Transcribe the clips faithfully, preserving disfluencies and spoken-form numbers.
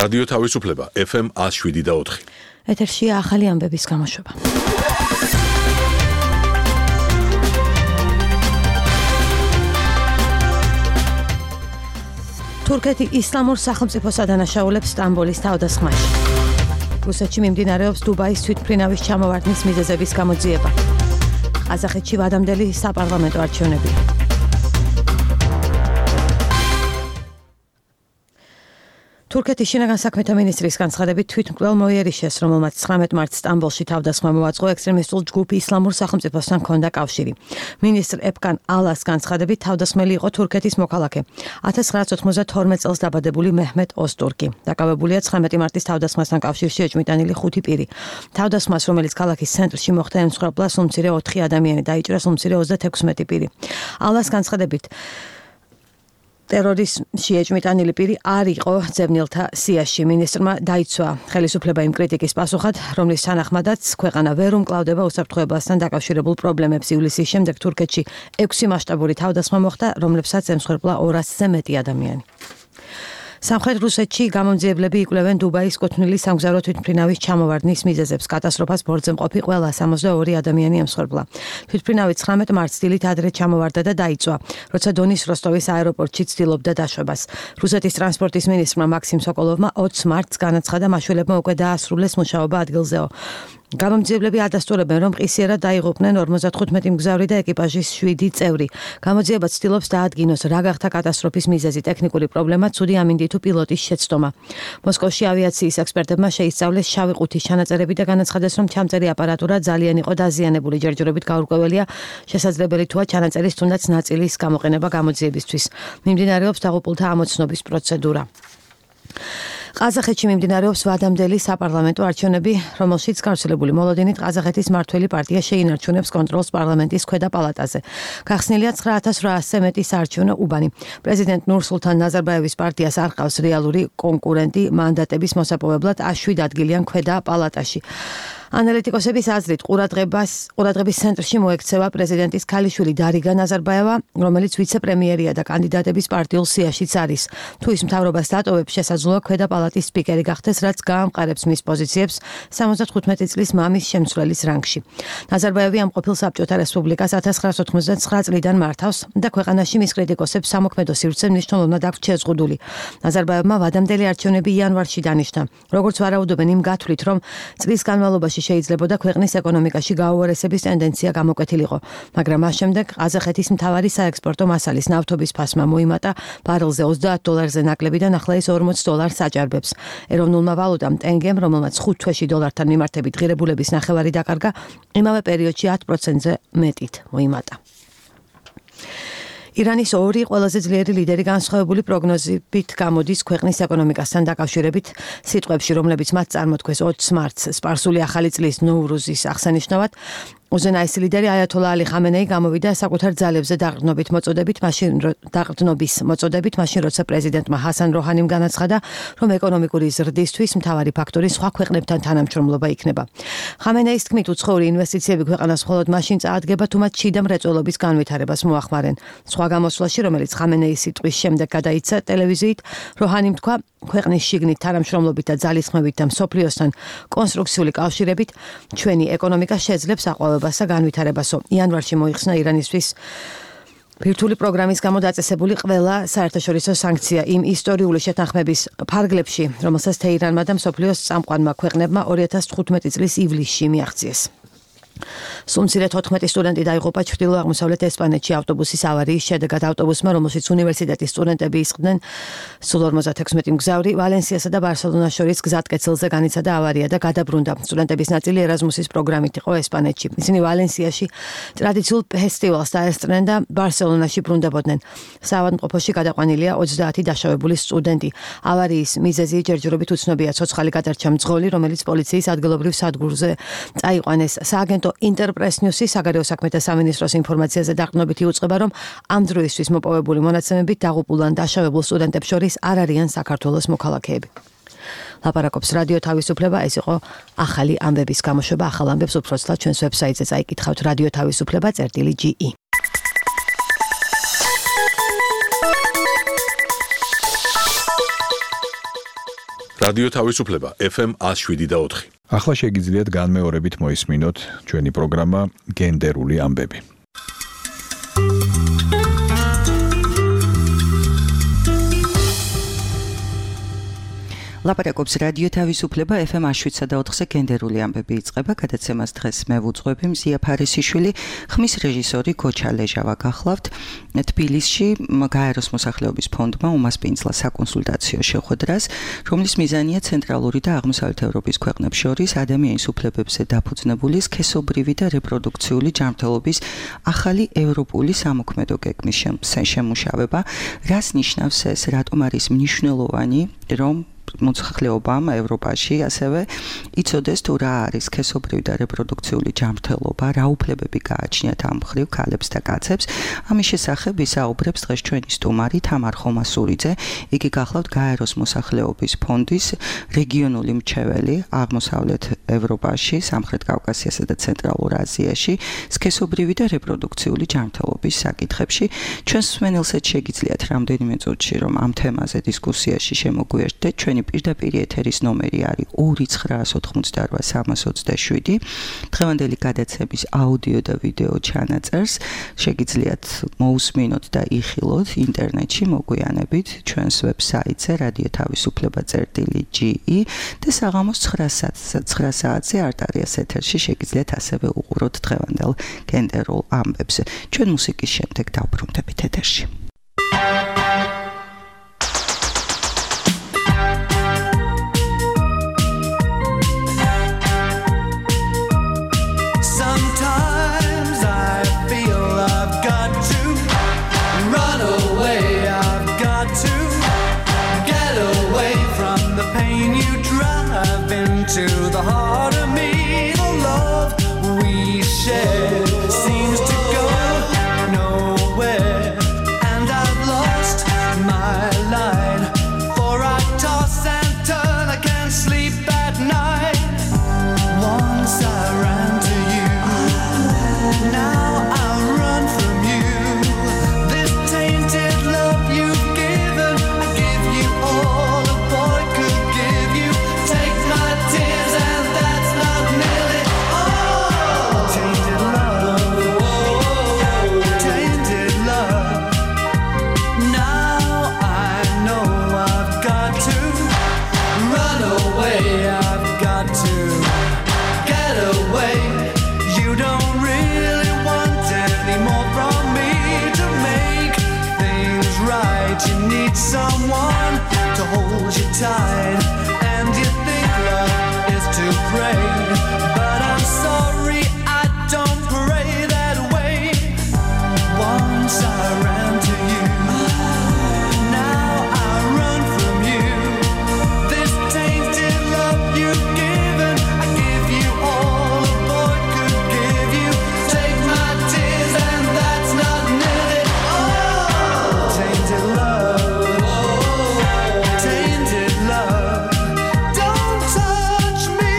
რადიო თავისუფლება ეფ ემ one oh seven და four. ეთერშია ახალი ამბების გამოშვება. თურქეთი ისლამურ სახელმწიფოს ადანაშაულებს სტამბოლის თავდასხმაში. რუსეთში მიმდინარეობს დუბაის თვითმფრინავის ჩამოვარდნის მიზეზების გამოძიება. ყაზახეთში ვადამდელი საპარლამენტო არჩევნებია. თურქეთის შინაგან საქმეთა მინისტრის განცხადებით თვითმკვლელ მოიერიშეს, რომელმაც ცხრამეტ მარტს სტამბოლში თავდასხმა მოაწყო, ექსტრემისტულ ჯგუფ ისლამურ სახელმწიფოსთან ჰქონდა კავშირი. მინისტრ ეპკან ალას განცხადებით თავდასხმელი იყო თურქეთის მოქალაქე, one thousand nine hundred ninety-two წელს დაბადებული მეჰმედ ოსტურკი. დაკავებულია ცხრამეტი მარტის თავდასხმასთან კავშირში ეჭვმიტანილი ხუთი პირი. თავდასხმას, რომელიც ქალაქის ცენტრში მოხდა, ემსხვერპლა სულმცირე ოთხი ადამიანი, დაიჭრა სულმცირე ოცდათექვსმეტი პირი. ალას განცხადებით ტერორიზმში ეჭვმიტანილი პირი არ იყო ძებნილთა სიაში. მინისტრმა დაიცვა ხელისუფლება იმ კრიტიკის პასუხად, რომლის თანახმადაც ქვეყანა ვერ უმკლავდება უსაფრთხოებასთან დაკავშირებულ პრობლემებს. ივლისის შემდეგ თურქეთში ექვსი მასშტაბური თავდასხმა მოხდა, რომლებსაც ემსხვერპლა ორასზე მეტი ადამიანი. სამხრეთ რუსეთში გამომძიებლები იკვლევენ დუბაის კუთვნილი სამგზავრო თვითმფრინავის ჩამოვარდნის მიზეზებს. კატასტროფას ბორცვზე მყოფი ყველა სამოცდაორი ადამიანი ემსხვერპლა. თვითმფრინავი ცხრამეტ მარტს დილით ადრე ჩამოვარდა და დაიწვა, როცა დონის როსტოვის აეროპორტში ცდილობდა დაშვებას. რუსეთის ტრანსპორტის მინისტრმა მაქსიმ სოკოლოვმა ოცს მარტს განაცხადა, მაშველებმა უკვე დაასრულეს მუშაობა ადგილზეო. გამომძიებლები ადასტურებენ, რომ ყისიერად დაიღუპნენ ორმოცდახუთმეტი მგზავრი და ეკიპაჟის შვიდი წევრი. გამოძიება ცდილობს დაადგინოს, რა გახდა კატასტროფის მიზეზი, ტექნიკური პრობლემა, ცუდი ამინდი თუ პილოტის შეცდომა. მოსკოვში ავიაციის ექსპერტებმა შეისწავლეს შავი ყუთის ჩანაწერები და განაცხადეს, რომ ჩამწერი აპარატურა ძალიან იყო დაზიანებული. ჯერჯერობით გაურკვეველია, შესაძლებელი თუა ჩანაწერის თუნდაც ნაწილის გამოყენება გამოძიებისთვის. მიმდინარეობს დაღუპულთა ამოცნობის პროცედურა. ყაზახეთში მიმდინარეობს ვადამდელი საპარლამენტო არჩევნები, რომელშიც გავრცელებული მოლოდინით ყაზახეთის მმართველი პარტია შეინარჩუნებს კონტროლს პარლამენტის ქვედა პალატაზე. გახსნილია ცხრა ათას რვაასზე მეტი საარჩევნო უბანი. პრეზიდენტ ნურსულთან ნაზარბაევის პარტიას არ ყავს რეალური კონკურენტი მანდატების მოსაპოვებლად შვიდ ადგილიან ქვედა პალატაში. ანალიტიკოსების აზრით, ყურადღებას ყურადღების ცენტრში მოექცევა პრეზიდენტის ქალიშვილი დარიგა ნაზარბაევა, რომელიც ვიცე-პრემიერია და კანდიდატების პარტიულ სიაშიც არის. თუ ის მთავრობას დატოვებს, შესაძლოა ქვედა პალატის სპიკერი გახდეს, რაც გაამყარებს მის პოზიციებს სამოცდახუთმეტი წლის მამის შემცვლელის რანგში. ნაზარბაევი ამ ყოფილ საბჭოთა რესპუბლიკას one thousand nine hundred ninety-nine წლიდან მართავს და ქვეყანაში მის კრიტიკოსებს სამოქმედო სივრცე მნიშვნელოვნად აქვს შეზღუდული. ნაზარბაევმა ვადამდელი არჩევნები იანვარში დანიშნა. როგორც ვარაუდობენ იმ გათვლით, რომ წლის განმავლობაში შეიძლებოდა ქვეყნის ეკონომიკაში გაუარესების ტენდენცია გამოკვეთილიყო, მაგრამ მას შემდეგ ყაზახეთის მთავარი საექსპორტო მასალის ნავთობის ფასმა მოიმატა ბარელზე ოცდაათ დოლარზე ნაკლებიდან ახლა ის ორმოც დოლარს აჭარბებს. ეროვნულმა ვალუტამ ტენგემ, რომელმაც ხუთ თვეში დოლართან მიმართებით ღირებულების ნახევარი დაკარგა, იმავე პერიოდში ათ პროცენტზე მეტით მოიმატა. ირანის ორი ყველაზე ძლიერი ლიდერი განსხვავებული პროგნოზებით გამოდის ქვეყნის ეკონომიკასთან დაკავშირებით სიტყვებში, რომლებიც მათ წარმოთქვეს ოცს მარტს სპარსული ახალი წლის ნოვრუზის აღსანიშნავად. უზენაესი ლიდერი აიათოლა ალი ხამენეი გამოვიდა საკუთარ ძალებზე დაყრდნობით მოწოდებით, მაშინ დაყრდნობის მოწოდებით, მაშინ როცა პრეზიდენტმა ჰასან როჰანიმ განაცხადა, რომ ეკონომიკური ზრდისთვის მთავარი ფაქტორი სხვა ქვეყნებთან თანამშრომლობა იქნება. ხამენეის თქმით, უცხოური ინვესტიციები ქვეყანას მხოლოდ მაშინ წაადგება, თუ მათ შიდა მრეწველობის განვითარებას მოახმარენ. სხვა გამოსვლაში, რომელიც ხამენეის სიტყვის შემდეგ გადაიცა ტელევიზიით, როჰანიმ თქვა, ქვეყნის შიგნით თანამშრომლობით და ძალისხმევით და მსოფლიოსთან კონსტრუქციული კავშირებით ჩვენი ეკონომიკა შეძლებს აყვავებას და განვითარებასო. იანვარში მოიხსნა ირანისთვის ბირთვული პროგრამის გამო დაწესებული ყველა საერთაშორისო სანქცია იმ ისტორიული შეთანხმების ფარგლებში, რომელსაც თეირანმა და მსოფლიოს წამყვანმა ქვეყნებმა ორი ათას თხუთმეტი წლის ივლისში მიაღწიეს. სულმცირე თოთხმეტი სტუდენტი დაიღუპა ჩრდილო-აღმოსავლეთ ესპანეთში ავტობუსის ავარიის შედეგად. ავტობუსმა, რომელშიც უნივერსიტეტის სტუდენტები ისხდნენ, სულ ორმოცდათექვსმეტი მგზავრი, ვალენსიასა და ბარსელონას შორის გზატკეცილზე განიცადა ავარია და გადაბრუნდა. სტუდენტების ნაწილი ერაზმუსის პროგრამით იყო ესპანეთში. ისინი ვალენსიაში ტრადიციულ ფესტივალს დაესწრნენ და ბარსელონაში ბრუნდებოდნენ. საავადმყოფოში გადაყვანილია ოცდაათი დაშავებული სტუდენტი. ავარიის მიზეზი ჯერჯერობით უცნობია. ცოცხალი გადარჩა მძღოლი, რომელიც პოლიციის ადგილობრივ სადგურზე წაიყვანეს. სააგენტო ინტერპრეს ნიუსის საგარეო საქმეთა სამინისტროს ინფორმაციაზე დაყრდნობით იუწყება, რომ ამ დროისთვის მოპოვებული მონაცემებით დაღუპულ ან დაშავებულ სტუდენტებს შორის არ არიან საქართველოს მოქალაქეები. ლაპარაკობს რადიო თავისუფლება, ეს იყო ახალი ამბების გამოშვება. ახალ ამბებს უფრო ცლად ჩვენს ვებსაიტზე წაიკითხავთ რადიო თავისუფლება წერტილი ჯი ი. რადიო თავისუფლება ეფ ემ one oh seven და four. ახლა შეგიძლიათ განმეორებით მოისმინოთ ჩვენი პროგრამა გენდერული ამბები. ლაპარაკობს რადიო თავისუფლება ეფ ემ one oh seven და four-ზე გენდერული ამბები იწყება. გადაცემას დღეს მე ვუძღვები მზია ფარისიშვილი, ხმის რეჟისორი გოჩა ლეჟავა გახლავთ. თბილისში გაეროს მოსახლეობის ფონდმა უმასპინძლა საკონსულტაციო შეხვედრას, რომლის მიზანია ცენტრალური და აღმოსავლეთ ევროპის ქვეყნებს შორის ადამიანის უფლებებზე დაფუძნებული სქესობრივი და რეპროდუქციული ჯანმრთელობის ახალი ევროპული სამოქმედო გეგმის შემუშავება. რას ნიშნავს ეს, რატომ არის მნიშვნელოვანი, რომ მოსახლეობამ ევროპაში ასევე იცოდეს თუ რა არის სქესობრივი და რეპროდუქციული ჯანმრთელობა, რა უფლებები გააჩნიათ ამ მხრივ ქალებს და კაცებს. ამის შესახებ ვისაუბრებს დღეს ჩვენი სტუმარი თამარ ხომასურიძე. იგი გახლავთ გაეროს მოსახლეობის ფონდის რეგიონული მრჩეველი აღმოსავლეთ ევროპაში, სამხრეთ კავკასიასა და ცენტრალურ აზიაში სქესობრივი და რეპროდუქციული ჯანმრთელობის საკითხებში. ჩვენს მსმენელსაც შეგიძლიათ რამდენიმე წუთში რომ ამ თემაზე დისკუსიაში შემოგვიერთდეთ. ჩვენი პირდაპირ ეთერის ნომერი არის two nine four eight three three seven. დღევანდელი გადაცემის აუდიო და ვიდეო ჩანაწერს შეგიძლიათ მოусმინოთ და იხილოთ ინტერნეტში, მოგვიანებით ჩვენს ვებსაიტზე რადიო თავისუფლება წერტილი ჯი ი და საღამოს nine საათზე არტარიას ეთერში შეგიძლიათ ასევე უყუროთ დღევანდელ გენდერულ ამბებს. ჩვენ მუსიკის შემდეგ დავბრუნდებით ეთერში. To the heart of me, the love we share seems to go nowhere, and I've lost my line, for I toss and turn, I can't sleep at night. Once I ran to you, now I run from you. This tainted love you've given, I give you all a boy could give you. Take my tears and that's not nearly all. Tainted love, tainted love. Now I know I've got to run away, I've got to get away. You don't really want any more from me to make things right. You need someone to hold you tight, and you think love is to pray, but I'm sorry I don't pray that way. Once I ran to you, now I run from you. This tainted love you've given, I give you all a boy could give you. Take my tears and that's not nearly all. Tainted love, tainted love. Don't touch me,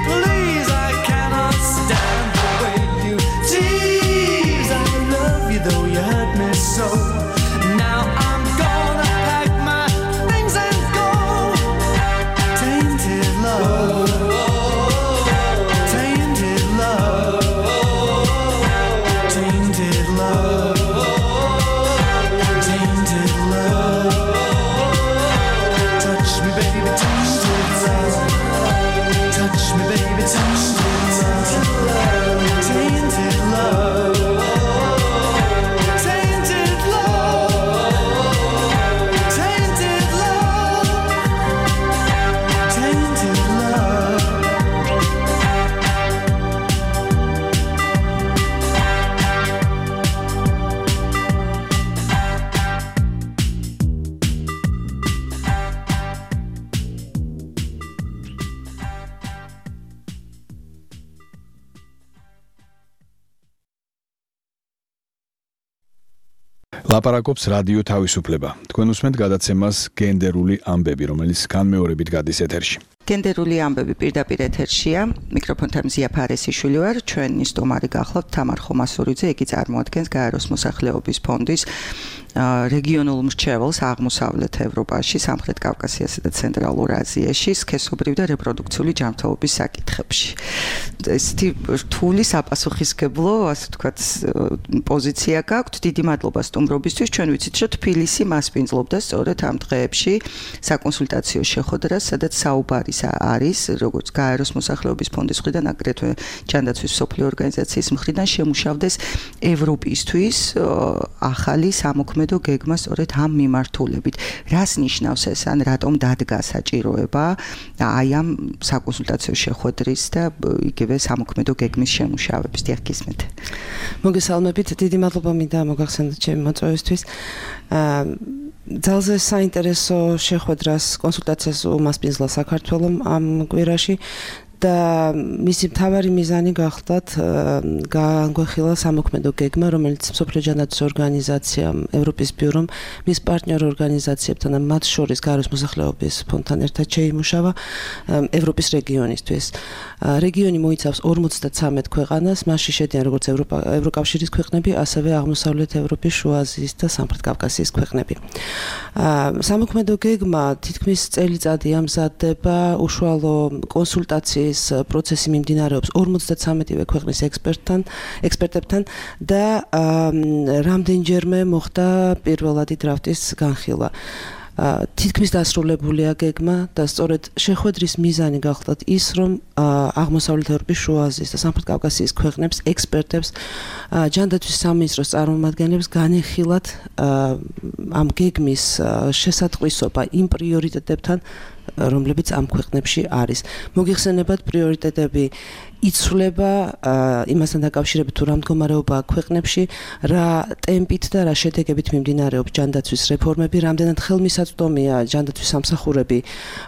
please. I cannot stand the way you tease. I love you though you hurt me so. Now I'm gonna pack my things and go. Tainted love, tainted love, tainted love, tainted love. Touch me, baby, tainted love. Touch me, baby, tainted love. Tainted love, tainted love, tainted love, tainted love. ლაპარაკობს რადიო თავისუფლება. თქვენ უსმენთ გადაცემას გენდერული ამბები, რომელიც განმეორებით გადის ეთერში. გენდერული ამბები პირდაპირ ეთერშია. მიკროფონთან მზია ფარისიშვილი ვარ. ჩვენი სტუმარი გახლავთ თამარ ხომასურიძე. იგი წარმოადგენს გაეროს მოსახლეობის ფონდის რეგიონულ მრჩეველს აღმოსავლეთ ევროპაში, სამხრეთ კავკასიასა და ცენტრალურ აზიაში სქესობრივი და რეპროდუქციული ჯანმრთელობის საკითხებში. ესეთი რთული საპასუხისმგებლო, ასე ვთქვათ, პოზიცია გაქვთ. დიდი მადლობა სტუმრობისთვის. ჩვენ ვიცით, რომ თბილისი მასპინძლობდა სწორედ ამ დღეებში საკონსულტაციო შეხვედრას, სადაც საუბარი არის, როგორც გაეროს მოსახლეობის ფონდის მხრიდან, აგრეთვე ჯანდაცვის მსოფლიო ორგანიზაციის მხრიდან შემუშავდეს ევროპისთვის ახალი სამოქმედო გეგმა სწორედ ამ მიმართულებით. რას ნიშნავს ეს, ან რატომ დადგა საჭიროება აი ამ საკონსულტაციო შეხვედრის და იგივე სამოქმედო გეგმის შემუშავების? დიახ, გისმენთ. მოგესალმებით, დიდი მადლობა მინდა მოგახსენოთ ჩემი მოწვევისთვის. ძალზე საინტერესო შეხვედრას კონსულტაციას უმასპინძლა საქართველოს ამ კვირაში და მისი მთავარი მიზანი გახლდათ განგვეხილა სამოქმედო გეგმა, რომელიც მსოფლიო ჯანდაცვის ორგანიზაციამ, ევროპის ბიურომ, მის პარტნიორ ორგანიზაციებთან და მათ შორის გაეროს მოსახლეობის ფონდთან ერთად შეიმუშავა ევროპის რეგიონისთვის. რეგიონი მოიცავს ორმოცდათრამეტ ქვეყანას, მასში შედიან როგორც ევროკავშირის ქვეყნები, ასევე აღმოსავლეთ ევროპის, შუა აზიის და სამხრეთ კავკასიის ქვეყნები. სამოქმედო გეგმა თითქმის წელიწადი ამზადდება, უშუალო კონსულტაციის პროცესი მიმდინარეობს ორმოცდათრამეტივე ქვეყნის ექსპერტთან, ექსპერტებთან და რამდენჯერმე მოხდა პირველადი დრაფტის განხილვა. თითქმის დასრულებულია გეგმა და სწორედ შეხვედრის მიზანი გახლდათ ის, რომ აღმოსავლეთ ევროპის, შუა აზიის და სამხრეთ კავკასიის ქვეყნებს, ექსპერტებს, ჯანდაცვის სამინისტროს წარმომადგენლებს განეხილათ ამ გეგმის შესატყვისობა იმ პრიორიტეტებთან, რომლებიც ამ ქვეყნებში არის. მოგიხსენებათ, პრიორიტეტები იცვლება იმასთან დაკავშირებით, თუ რა მდგომარეობაა ქვეყნებში, რა ტემპით და რა შედეგებით მიმდინარეობს ჯანდაცვის რეფორმები, რამდენად ხელმისაწვდომია ჯანდაცვის სამსახურები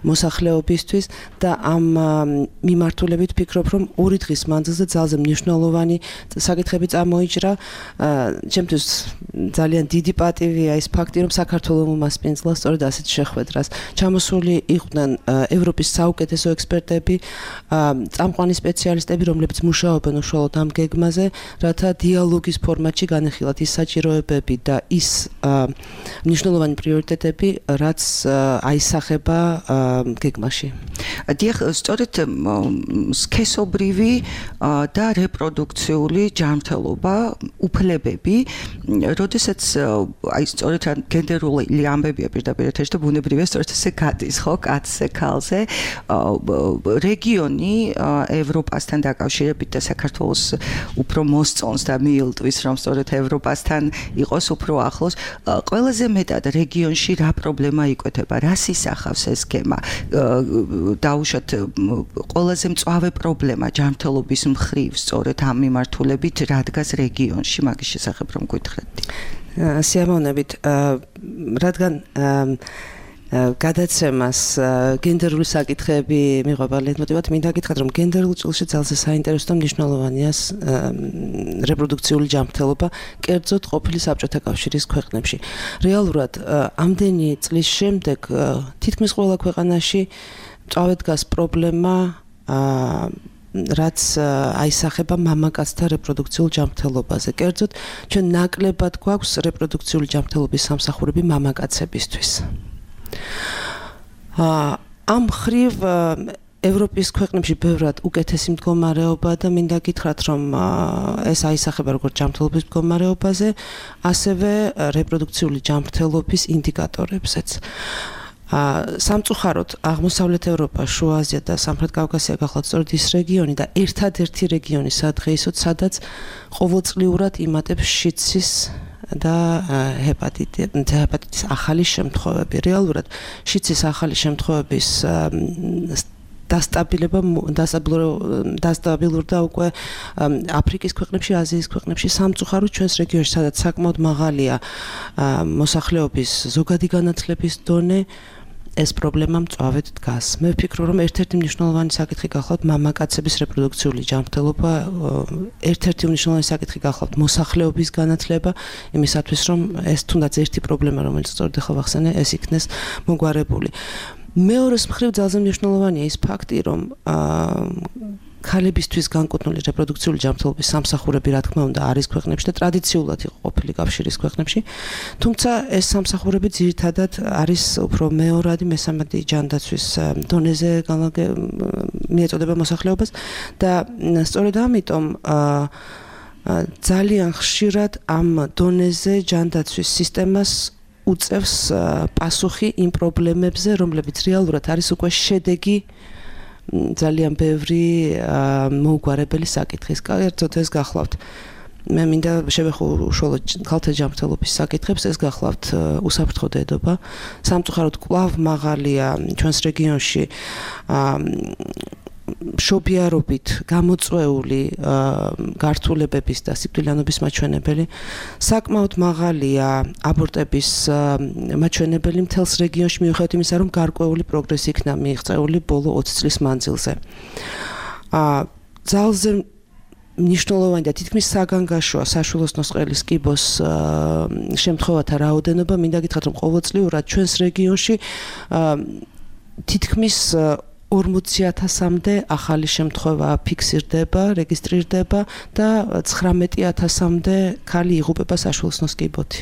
მოსახლეობისთვის და ამ მიმართულებით ვფიქრობ, რომ ორი დღის მანძილზე ძალზე მნიშვნელოვანი საკითხები წამოიჭრა. ჩემთვის ძალიან დიდი პატივია ის ფაქტი, რომ საქართველოს უმასპინძლა სწორედ ასეთ შეხვედრას. ჩამოსული იყვნენ ევროპის საუკეთესო ექსპერტები, წამყვანი სპეციალისტები, რომლებიც მუშაობენ უშუალოდ ამ გეგმაზე, რათა დიალოგის ფორმატში განეხილათ ის საჭიროებები და ის მნიშვნელოვანი პრიორიტეტები, რაც აისახება გეგმაში. დიახ, სწორედ სქესობრივი და რეპროდუქციული ჯანმრთელობა, უფლებები, როდესაც აი სწორედ გენდერული ამბებია პირდაპირ ეთერში და ბუნებრივია სწორედ ესე გადის, ხო, კაცზე, ქალზე, რეგიონი ევროპასთან დაკავშირებით და საქართველოს უფრო მოსწონს და მიილტვის, რომ სწორედ ევროპასთან იყოს უფრო ახლოს. ყველაზე მეტად რეგიონში რა პრობლემა იკვეთება, რას ისახავს ეს გეგმა? დაუშვათ ყველაზე მწვავე პრობლემა ჯანმრთელობის მხრივ სწორედ ამ მიმართულებით რა დგას რეგიონში, მაგის შესახებ რომ გითხრათ. სიამოვნებით, რადგან გადაცემას გენდერული საკითხები მიყვება ლეიტმოტივად, მინდა გითხრათ, რომ გენდერულ ჭრილში ძალზე საინტერესო და მნიშვნელოვანია რეპროდუქციული ჯანმრთელობა, კერძოდ ყოფილი საბჭოთა კავშირის ქვეყნებში. რეალურად ამდენი წლის შემდეგ თითქმის ყველა ქვეყანაში მწვავედ დგას პრობლემა, რაც აისახება მამაკაცთა რეპროდუქციულ ჯანმრთელობაზე. კერძოდ, ჩვენ ნაკლებად გვაქვს რეპროდუქციული ჯანმრთელობის სამსახურები მამაკაცებისთვის. ამ ხრივ ევროპის ქვეყნებში ბევრად უკეთესი მდგომარეობა და მინდა გითხრათ, რომ ეს აისახება როგორც ჯანმრთელობის მდგომარეობაზე, ასევე რეპროდუქციული ჯანმრთელობის ინდიკატორებზეც. სამწუხაროდ აღმოსავლეთ ევროპა, შუა აზია და სამხრეთ კავკასია გახლავთ სწორედ ის რეგიონი და ერთადერთი რეგიონი სადღეისოდ, სადაც ყოველწლიურად იმატებს შიდსის და ჰეპატიტის ახალი შემთხვევები. რეალურად შიდსის ახალი შემთხვევების დასტაბილება დასტაბილურდა უკვე აფრიკის ქვეყნებში, აზიის ქვეყნებში, სამწუხაროდ ჩვენს რეგიონში, სადაც საკმაოდ მაღალია მოსახლეობის ზოგადი განათლების დონე, ეს პრობლემა მწვავედ დგას. მე ვფიქრობ, რომ ერთ-ერთი მნიშვნელოვანი საკითხი გახლავთ მამაკაცების რეპროდუქციული ჯანმრთელობა, ერთ-ერთი მნიშვნელოვანი საკითხი გახლავთ მოსახლეობის განათლება, იმისათვის, რომ ეს თუნდაც ერთი პრობლემა, რომელიც სწორედ ახლა ვახსენე, ეს იქნეს მოგვარებული. მეორეს მხრივ ძალზე მნიშვნელოვანია ის ფაქტი, რომ ქალებისთვის განკუთვნილი რეპროდუქციული ჯანმრთელობის სამსახურები რა თქმა უნდა არის ქვეყნებში და ტრადიციულად იყო ყოფილი კავშირის ქვეყნებში. თუმცა ეს სამსახურები ძირითადად არის უფრო მეორადი, მესამედი ჯანდაცვის დონეზე მიეწოდება მოსახლეობას და სწორედ ამიტომ ძალიან ხშირად ამ დონეზე ჯანდაცვის სისტემას უწევს პასუხი იმ პრობლემებზე, რომლებიც რეალურად არის უკვე შედეგი ძალიან ბევრი მოუგვარებელი საკითხის. კერძოდ ეს გახლავთ. მე მინდა შევეხო უშუალოდ ქალთა ჯანმრთელობის საკითხებს, ეს გახლავთ უსაფრთხო დედობა. სამწუხაროდ კვლავ მაღალია ჩვენს რეგიონში შობიარობით გამოწვეული გართულებების და სიკვდილიანობის მაჩვენებელი. საკმაოდ მაღალია აბორტების მაჩვენებელი მთელს რეგიონში მიუხედავად იმისა, რომ გარკვეული პროგრესი იქნა მიიღწეული ბოლო ოცი წლის მანძილზე. ძალზე მნიშვნელოვანი და თითქმის საგანგაშოა საშვილოსნოს ყელის კიბოს შემთხვევათა რაოდენობა. მინდა გითხრათ, რომ ყოველწლიურად ჩვენს რეგიონში თითქმის ორმოცი ათასამდე ახალი შემთხვევა ფიქსირდება, რეგისტრირდება და ცხრამეტი ათასამდე ქალი იღუპება საშვილოსნოს კიბოთი.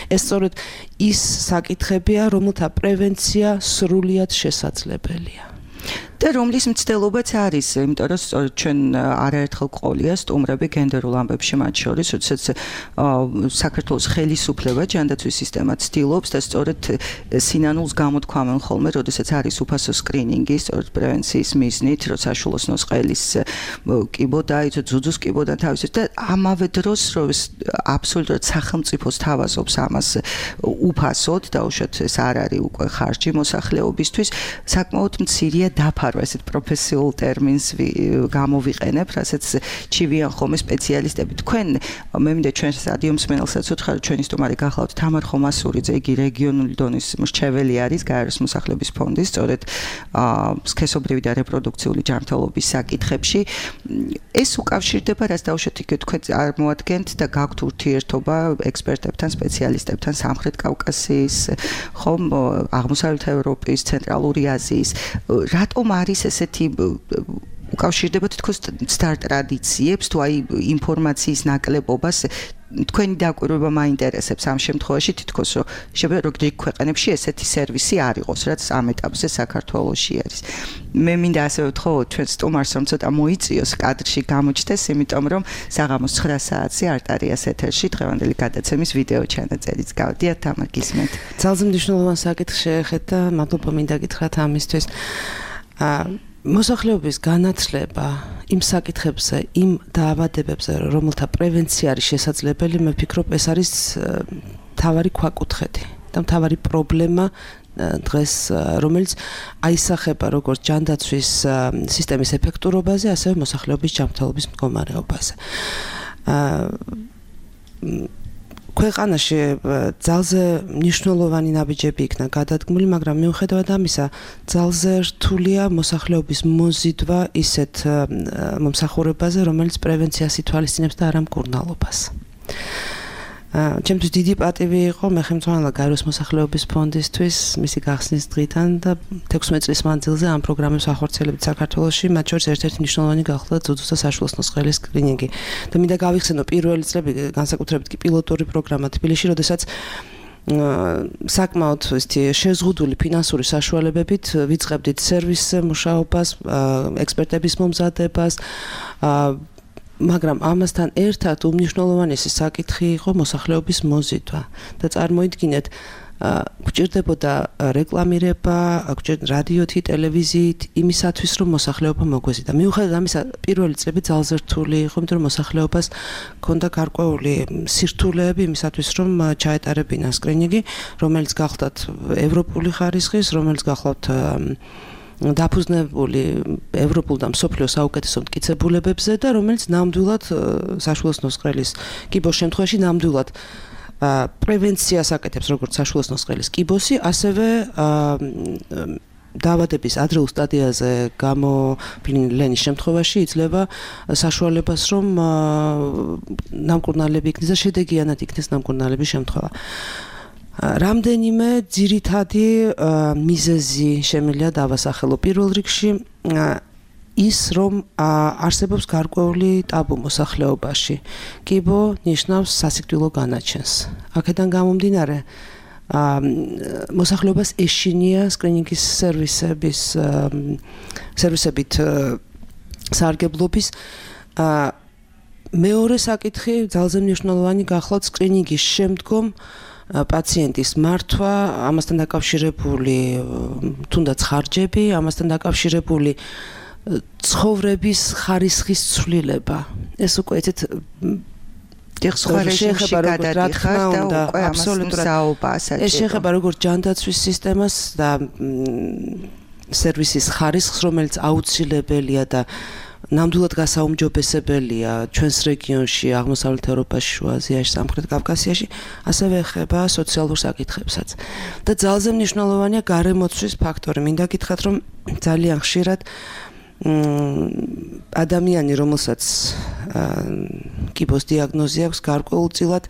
ეს სწორედ ის საკითხებია, რომელთა პრევენცია სრულიად შესაძლებელია. და რომლის მცდელობაც არის, იმიტომ რომ სწორედ ჩვენ არაერთხელ ყოლია სტუმრები გენდერულ ამბებში, მათ შორის, როდესაც საქართველოს ხელისუფლება ჯანდაცვის სისტემას ცდილობს და სწორედ სინანულს გამოთქვამენ ხოლმე, როდესაც არის უფასო სკრინინგი, სწორედ პრევენციის მიზნით, რომ საშვილოსნოს ყელის კიბო დაიცვათ, ძუძუს კიბო და თავისით და ამავე დროს რომ აბსოლუტურად სახელმწიფოს თავაზობს ამას უფასოდ და უშოთ ეს არ არის უკვე ხარჯი მოსახლეობისთვის, საკმაოდ მცირეა დაფარვა ესეთ პროფესიულ ტერმინს გამოვიყენებ, რასაც ჩივიან ხოლმე სპეციალისტები. თქვენ მე მინდა ჩვენს რადიო მსმენელსაც უთხრა, რომ ჩვენი სტუმარი გახლავთ თამარ ხომასურიძე, იგი რეგიონული დონის მრჩეველი არის გაეროს მოსახლეობის ფონდის, სწორედ სქესობრივი და რეპროდუქციული ჯანმრთელობის საკითხებში. ეს უკავშირდება, რაც დაუშვათ იქ თქვენ წარმოადგენთ და გაქვთ ურთიერთობა ექსპერტებთან, სპეციალისტებთან სამხრეთ კავკასიის, ხომ აღმოსავლეთ ევროპის, ცენტრალური აზიის. რატომ არის ესეთი უკავშირდება თითქოს სტარ ტრადიციებს თუ აი ინფორმაციის ნაკლებობას თქვენი დაკვირვება მაინტერესებს ამ შემთხვევაში თითქოს რომ შეიძლება როგორი ქვეყნებში ესეთი სერვისი არ იყოს, რაც ამ ეტაპზე საქართველოში არის. მე მინდა ასევე ვთქო ჩვენ სტუმარს რომ ცოტა მოიწიოს კადრში გამოჩნდეს, იმიტომ რომ საღამოს ცხრა საათზე არტარიას ეთერში დღევანდელი გადაცემის ვიდეო ჩანაწერიც გავდიათ, თამარ გისმენთ. ძალზე მნიშვნელოვან საკითხს შეეხეთ და მადლობა მინდა გითხრათ ამისთვის. მოსახლეობის განათლება იმ საკითხებზე, იმ დაავადებებზე, რომელთა პრევენცია არის შესაძლებელი, მე ვფიქრობ, ეს არის მთავარი ქვაკუთხედი და მთავარი პრობლემა დღეს, რომელიც აისახება როგორც ჯანდაცვის სისტემის ეფექტურობაზე, ასევე მოსახლეობის ჯანმრთელობის მდგომარეობაზე. ქვეყანაში ძალზე მნიშვნელოვანი ნაბიჯები იქნა გადადგმული, მაგრამ მიუხედავად ამისა, ძალზე რთულია მოსახლეობის მოზიდვა ისეთ მომსახურებაზე, რომელიც პრევენციას ითვალისწინებს და არა მკურნალობას. ჩემთვის დიდი პატივი იყო მე ხელმძღვანელა გაეროს მოსახლეობის ფონდისთვის მისი გახსნის დღიდან და თექვსმეტ წლის მანძილზე ამ პროგრამებს ახორციელებით საქართველოში, მათ შორის ერთ-ერთი მნიშვნელოვანი გახდა ძუძუს და საშვილოსნოს ყელის სკრინინგი. და მინდა გავიხსენო პირველი წლები, განსაკუთრებით კი პილოტური პროგრამა თბილისში, როდესაც საკმაოდ ისეთი შეზღუდული ფინანსური საშუალებებით ვიწყებდით სერვისზე მუშაობას, ექსპერტების მომზადებას, მაგრამ ამასთან ერთად უმნიშვნელოვანესი საკითხი იყო მოსახლეობის მოზიდვა და წარმოიდგინეთ გვჭირდებოდა რეკლამირება, რადიოთი, ტელევიზიით იმისათვის, რომ მოსახლეობა მოგვეზიდა. მიუხედავად ამისა, პირველი წლები ძალზე რთული იყო, იმიტომ რომ მოსახლეობას ჰქონდა გარკვეული სირთულეები იმისათვის, რომ ჩაეტარებინა სკრინინგი, რომელიც გახლავთ ევროპული ხარისხის, რომელიც გახლავთ დაფუძნებული ევროპულ და მსოფლიო საუკეთესო მტკიცებულებებზე და რომელიც ნამდვილად საშვილოსნოს ყელის კიბოს შემთხვევაში ნამდვილად პრევენციას აკეთებს როგორც საშვილოსნოს ყელის კიბოსი, ასევე დაავადების ადრეულ სტადიაზე გამოფლინის შემთხვევაში იძლევა საშუალებას, რომ ნამკურნალები იქნეს და შედეგიანად იქნეს ნამკურნალების შემთხვევა. რამდენიმე ძირითადი მიზეზი შემიძლია დავასახელო. პირველ რიგში ის რომ არსებობს გარკვეული ტაბუ მოსახლეობაში. კიბო ნიშნავს სასიკვდილო განაჩენს. აქედან გამომდინარე მოსახლეობას ეშინია სკრინინგის სერვისების სერვისებით სარგებლობის მეორე საკითხი ძალზე მნიშვნელოვანი გახლავთ სკრინინგის შემდგომ პაციენტის მართვა, ამასთან დაკავშირებული თუნდაც ხარჯები, ამასთან დაკავშირებული ცხოვრების ხარისხის ცვლილება. ეს უკვე ეცეთ სხვა რეჟიმში გადადიხარ და უკვე აბსოლუტურად საუბა საჭირო. ეს შეეხება როგორც ჯანდაცვის სისტემას და სერვისის ხარისხს, რომელიც აუცილებელია და ნამდვილად გასაუმჯობესებელია ჩვენს რეგიონში, აღმოსავლეთ ევროპაში, შუა აზიაში, სამხრეთ კავკასიაში, ასევე ეხება სოციალურ საკითხებსაც. და ძალზე მნიშვნელოვანია გარემოცვის ფაქტორი. მინდა გითხრათ, რომ ძალიან ხშირად ადამიანი, რომელსაც კიბოს დიაგნოზი აქვს, გარკვეულწილად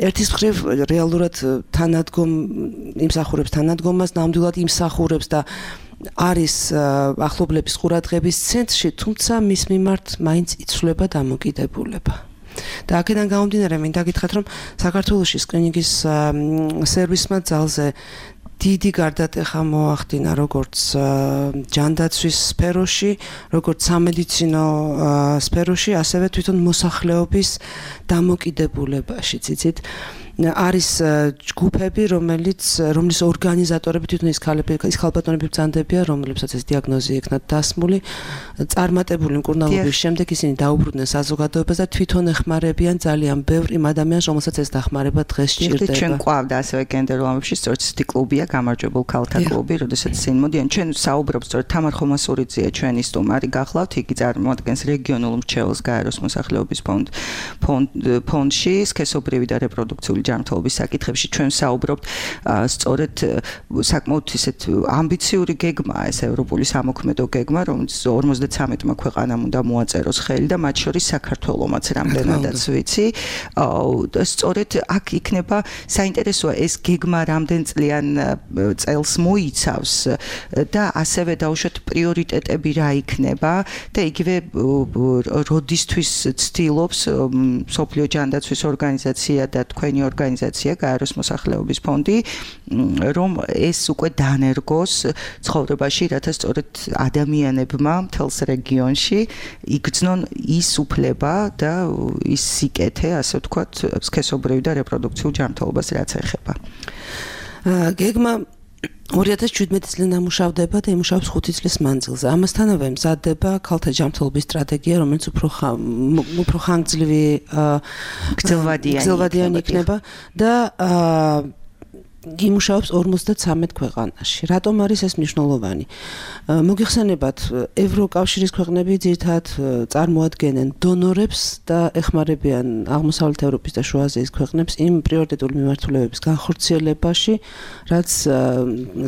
ერთის მხრივ რეალურად თანადგომ იმსახურებს თანადგომას, ნამდვილად იმსახურებს და არის ახლობლების ყურადღების ცენტრში, თუმცა მის მიმართ მაინც იცვლება დამოკიდებულება. და აქედან გამომდინარე, მინდა გითხრათ, რომ საქართველოში სკრინინგის სერვისმა ძალზე დიდი გარდატეხა მოახდინა როგორც ჯანდაცვის სფეროში, როგორც სამედიცინო სფეროში, ასევე თვითონ მოსახლეობის დამოკიდებულებაში. ციცით, არის ჯგუფები, რომელიც რომლის ორგანიზატორები თვითონ ის ქალები, ის ქალბატონები ბრძანდებიან, რომლებსაც ეს დიაგნოზი ექნათ დასმული, წარმატებული მკურნალობის შემდეგ ისინი დაუბრუნდნენ საზოგადოებას და თვითონ ეხმარებიან ძალიან ბევრ იმ ადამიანს, რომელსაც ეს დახმარება დღეს სჭირდება. ჩვენ ყვავდა ასევე გენდერულ ამებში, სწორედ ისეთი კლუბია, გამარჯვებულ ქალთა კლუბი, როდესაც ისინი მოდიან, ჩვენ საუბრობთ, სწორედ თამარ ხომასურიძეა ჩვენი სტუმარი გახლავთ, იგი წარმოადგენს რეგიონულ მრჩეველს გაეროს მოსახლეობის ფონდ ფონდში, სქესობრივი და რეპროდუქციული ჯანმრთელობის საკითხებში ჩვენ საუბრობთ სწორედ საკმაოდ ისეთ ამბიციური გეგმაა ეს ევროპული სამოქმედო გეგმა, რომელიც ორმოცდათრამეტმა ქვეყანამ უნდა მოაწეროს ხელი და მათ შორის საქართველომაც რამდენადაც ვიცი. სწორედ აქ იქნება საინტერესოა ეს გეგმა რამდენ წლიან წელს მოიცავს და ასევე დაუშვათ პრიორიტეტები რა იქნება და იგივე როდისთვის ცდილობს მსოფლიო ჯანდაცვის ორგანიზაცია და თქვენი ორგანიზაცია გაეროს მოსახლეობის ფონდი, რომ ეს უკვე დანერგოს ცხოვრებაში, რათა სწორედ ადამიანებმა მთელს რეგიონში იგრძნონ ის უფლება და ის სიკეთე, ასე ვთქვათ, სქესობრივი და რეპროდუქციულ ჯანმრთელობას რაც ეხება. გეგმა ორი ათას შვიდმეტი წლიდან ამუშავდება და იმუშავებს ხუთი წლის მანძილზე. ამასთანავე მზადდება ქალთა ჯანმრთელობის სტრატეგია, რომელიც უფრო უფრო ხანგრძლივი გრძელვადიანი იქნება და იმუშავებს ორმოცდათრამეტ ქვეყანაში. რატომ არის ეს მნიშვნელოვანი? მოგიხსენებათ, ევროკავშირის ქვეყნები ძირითადად წარმოადგენენ დონორებს და ეხმარებიან აღმოსავლეთ ევროპის და შუა აზიის ქვეყნებს იმ პრიორიტეტული მიმართულებების განხორციელებაში, რაც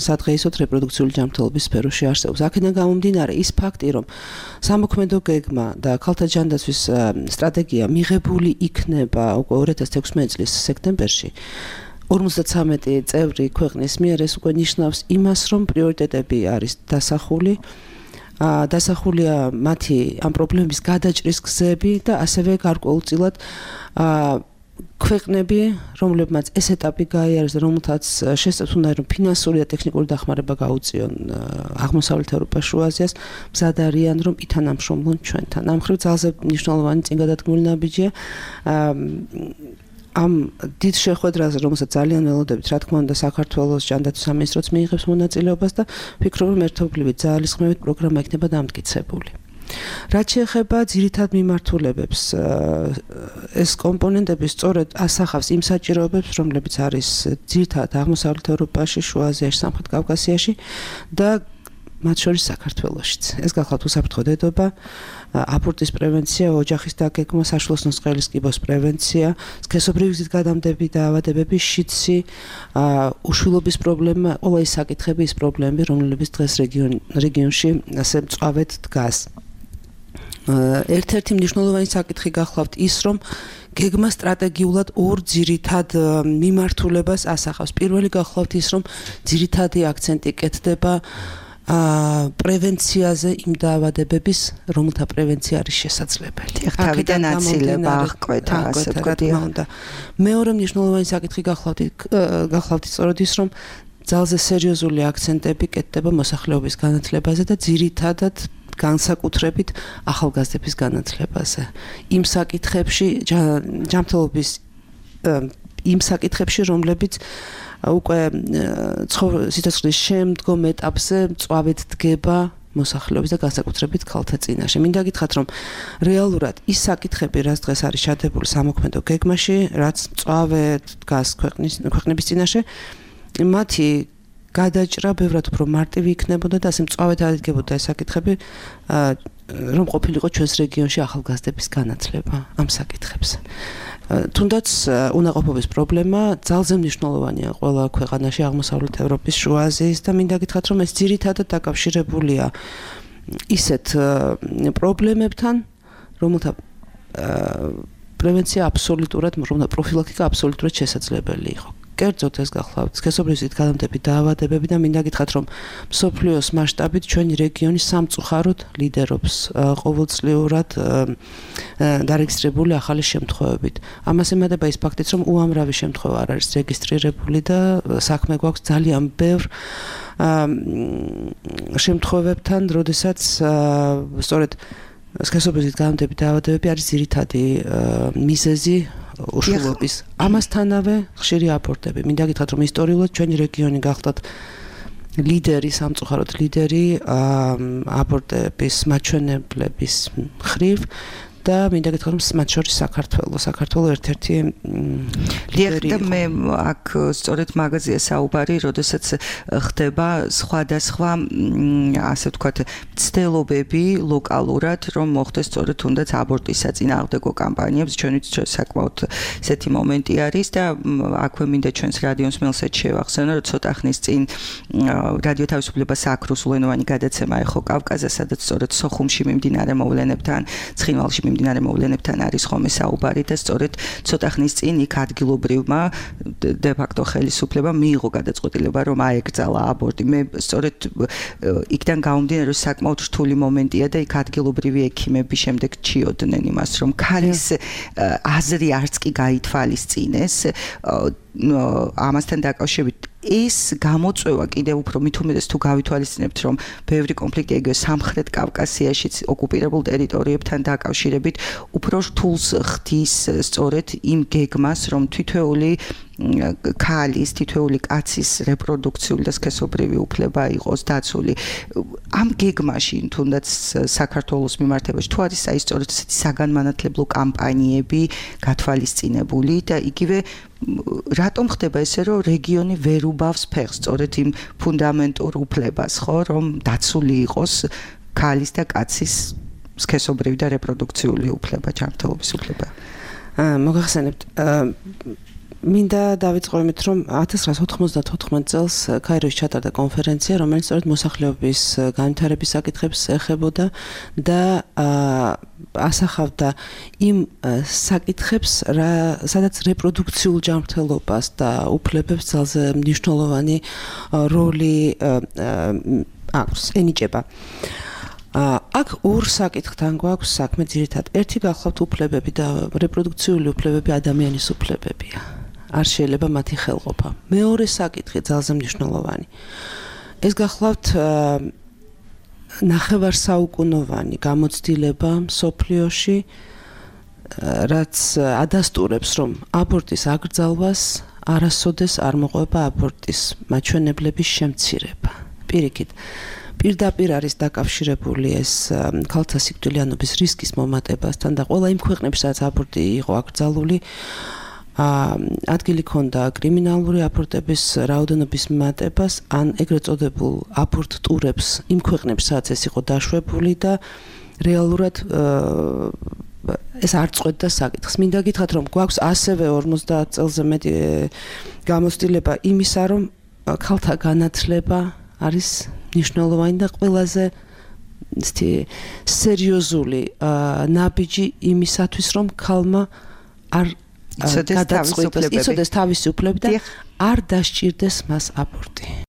სადღეისოდ რეპროდუქციული ჯანმრთელობის სფეროში არსებობს. აქედან გამომდინარე, ის ფაქტი, რომ სამოქმედო გეგმა და ქალთა ჯანდაცვის სტრატეგია მიღებული იქნება უკვე ორი ათას თექვსმეტი წლის სექტემბერში, ორმოცდათრამეტი წევრი ქვეყნის მიერ ეს უკვე ნიშნავს იმას, რომ პრიორიტეტები არის დასახული, დასახულია მათი ამ პრობლემების გადაჭრის გზები და ასევე გარკვეულწილად ქვეყნები, რომლებმაც ეს ეტაპი გაიარეს და რომელთაც შესწევთ უნდა რომ ფინანსური და ტექნიკური დახმარება გაუწიონ აღმოსავლეთ ევროპას, შუა აზიას, მზად არიან რომ ითანამშრომლონ ჩვენთან. ამ მხრივ ძალზე მნიშვნელოვანი წინგადადგმული ნაბიჯია. ამ დიდ შეხვედრაზე, რომელსაც ძალიან ველოდებით, რა თქმა უნდა, საქართველოს ჯანდაცვის სამინისტროც მიიღებს მონაწილეობას და ვფიქრობ, რომ ერთობლივი ძალისხმევით პროგრამა იქნება დამტკიცებული. რაც შეეხება ძირითად მიმართულებებს, ეს კომპონენტები სწორედ ასახავს იმ საჭიროებებს, რომლებიც არის ძირითადად აღმოსავლეთ ევროპაში, შუა აზიაში, სამხრეთ კავკასიაში და მათ შორის საქართველოშიც. ეს გახლავთ უსაფრთხო დედობა, აბორტის პრევენცია, ოჯახის დაგეგმა, საშუალო სწყლის კიბოს პრევენცია, სქესობრივი გზით გადამდები და ავადებების შიდსი, უშვილობის პრობლემა, ყველა ის საკითხები, ის პრობლემები, რომლებიც დღეს რეგიონში ასე მწვავედ დგას. ერთ-ერთი მნიშვნელოვანი საკითხი გახლავთ ის, რომ გეგმა სტრატეგიულად ორ ძირითად მიმართულებას ასახავს. პირველი გახლავთ ის, რომ ძირითადი აქცენტი კეთდება აა პრევენციაზე იმ დაავადებების, რომელთა პრევენცია არის შესაძლებელი. თავიდან აცილება აღკვეთა, ასე ვთქვათ. მეორე მნიშვნელოვანი საკითხი გახლავთ გახლავთ სწორედ ის, რომ ძალზე სერიოზული აქცენტები კეთდება მოსახლეობის განათლებაზე და ძირითადად განსაკუთრებით ახალგაზრდების განათლებაზე. იმ საკითხებში ჯანმრთელობის იმ საკითხებში, რომლებიც უკვე სიცოცხლის შემდგომ ეტაპზე მწვავედ დგება მოსახლეობის და განსაკუთრებით ქალთა წინაშე. მინდა გითხრათ, რომ რეალურად ის საკითხები, რაც დღეს არის ჩადებული სამოქმედო გეგმაში, რაც მწვავედ დგას ქვეყნის ქვეყნების წინაშე, მათი გადაჭრა ბევრად უფრო მარტივი იქნებოდა და ასე მწვავედ აღიდგებოდა ეს საკითხები, რომ ყოფილიყო ჩვენს რეგიონში ახალგაზრდების განათლება ამ საკითხებზე. თუნდაც უნაყოფობის პრობლემა ძალზე მნიშვნელოვანია ყველა ქვეყანაში აღმოსავლეთ ევროპის, შუა აზიის და მინდა გითხრათ, რომ ეს ძირითადად დაკავშირებულია ისეთ პრობლემებთან, რომელთა პრევენცია აბსოლუტურად, რომელთა პროფილაქტიკა აბსოლუტურად შესაძლებელი იყო. კერძოდ ეს გახლავთ სქესობრივი გადამტები დაავადებები და მინდა გითხრათ, რომ მსოფლიოს მასშტაბით ჩვენი რეგიონი სამწუხაროდ ლიდერობს ყოველწლიურად დარეგისტრირებული ახალი შემთხვევებით. ამას ემატება ის ფაქტიც, რომ უამრავი შემთხვევა არ არის რეგისტრირებული და საქმე გვაქვს ძალიან ბევრ შემთხვევებთან, როდესაც სწორედ სქესობრივი გადამტები დაავადებები არის ძირითადი მიზეზი უშვილობის. ამასთანავე ხშირი აბორტები. მინდა გითხრათ, რომ ისტორიულად ჩვენი რეგიონი გახლდათ ლიდერი, სამწუხაროდ ლიდერი აბორტების მაჩვენებლების მხრივ და მინდა გითხრათ, რომ მათ შორის საქართველო, საქართველო ერთ-ერთი ლიდერი იყო. მე აქ სწორედ მაგაზია საუბარი, როდესაც ხდება სხვადასხვა, ასე ვთქვათ, მცდელობები ლოკალურად, რომ მოხდეს სწორედ თუნდაც აბორტის საწინააღმდეგო კამპანიებს, ჩვენც საკმაოდ ესეთი მომენტი არის და აქვე მინდა ჩვენს რადიოს მელსეთ შევახსენო, რომ ცოტა ხნის წინ რადიო თავისუფლება სააქრუსულენოვანი გადაცემა ეხო კავკაზზე, სადაც სწორედ სოხუმში მიმდინარე მოვლენებთან, ცხინვალში მიმდინარე მოვლენებთან არის ხოლმე საუბარი და სწორედ ცოტა ხნის წინ იქ ადგილობრივმა de facto ხელისუფლებამ მიიღო გადაწყვეტილება, რომ აეკრძალა აბორტი. მე სწორედ იქიდან გამომდინარე, რომ საკმაოდ რთული მომენტია და იქ ადგილობრივი ექიმები შემდეგ ჩიოდნენ იმას, რომ ქალის აზრი არც კი გაითვალისწინეს ამასთან დაკავშირებით. ეს გამოწვევა კიდევ უფრო მით უმეტეს თუ გავითვალისწინებთ, რომ ბევრი კონფლიქტი ეგრე სამხრეთ კავკასიაშიც ოკუპირებულ ტერიტორიებთან დაკავშირებით უფრო რთულს ხდის სწორედ იმ გეგმას, რომ თითოეული ქალის, თითოეული კაცის რეპროდუქციული და სქესობრივი უფლება იყოს დაცული. ამ გეგმაში თუნდაც საქართველოს მიმართებაში თუ არის აი სწორედ ესეთი საგანმანათლებლო კამპანიები გათვალისწინებული და იგივე რატომ ხდება ესე, რომ რეგიონი ვერ უბავს ფეხს სწორედ იმ ფუნდამენტურ უფლებას, ხო, რომ დაცული იყოს ქალის და კაცის სქესობრივი და რეპროდუქციული უფლება, ჯანმრთელობის უფლება. მოგახსენებთ, მინდა დავიწყო იმით, რომ ათას რვაასი ოთხმოცდათოთხმეტ წელს ქაიროში ჩატარდა კონფერენცია, რომელიც სწორედ მოსახლეობის განვითარების საკითხებს ეხებოდა და ასახავდა იმ საკითხებს, სადაც რეპროდუქციულ ჯანმრთელობას და უფლებებს ძალზე მნიშვნელოვანი როლი აქვს, ენიჭება. აქ ორ საკითხთან გვაქვს საქმე ძირითადად. ერთი გახლავთ უფლებები და რეპროდუქციული უფლებები ადამიანის უფლებებია. არ შეიძლება მათი ხელყოფა. მეორე საკითხი ძალზე მნიშვნელოვანი. ეს გახლავთ ნახევარსაუკუნოვანი გამოცდილება მსოფლიოში, რაც ადასტურებს, რომ აბორტის აკრძალვას არასოდეს არ მოყვება აბორტის მაჩვენებლების შემცირება. პირიქით, პირდაპირ არის დაკავშირებული ეს ქალთა სიკვდილიანობის რისკის მომატებასთან და ყველა იმ ქვეყნებში, სადაც აბორტი იყო აკრძალული, ადგილი ჰქონდა კრიმინალური აბორტების რაოდენობის მატებას, ან ეგრეთ წოდებულ აბორტ ტურებს იმ ქვეყნებში, სადაც ეს იყო დაშვებული და რეალურად ეს არ წყვეტდა საკითხს. მინდა გითხრათ, რომ გვაქვს ასევე ორმოცდაათ წელზე მეტი გამოცდილება იმისა, რომ ქალთა განათლება არის მნიშვნელოვანი და ყველაზე ისეთი სერიოზული ნაბიჯი იმისათვის, რომ ქალმა არ გადაწყვეტოს, იცოდეს თავისი უფლები და არ დასჭირდეს მას აბორტი.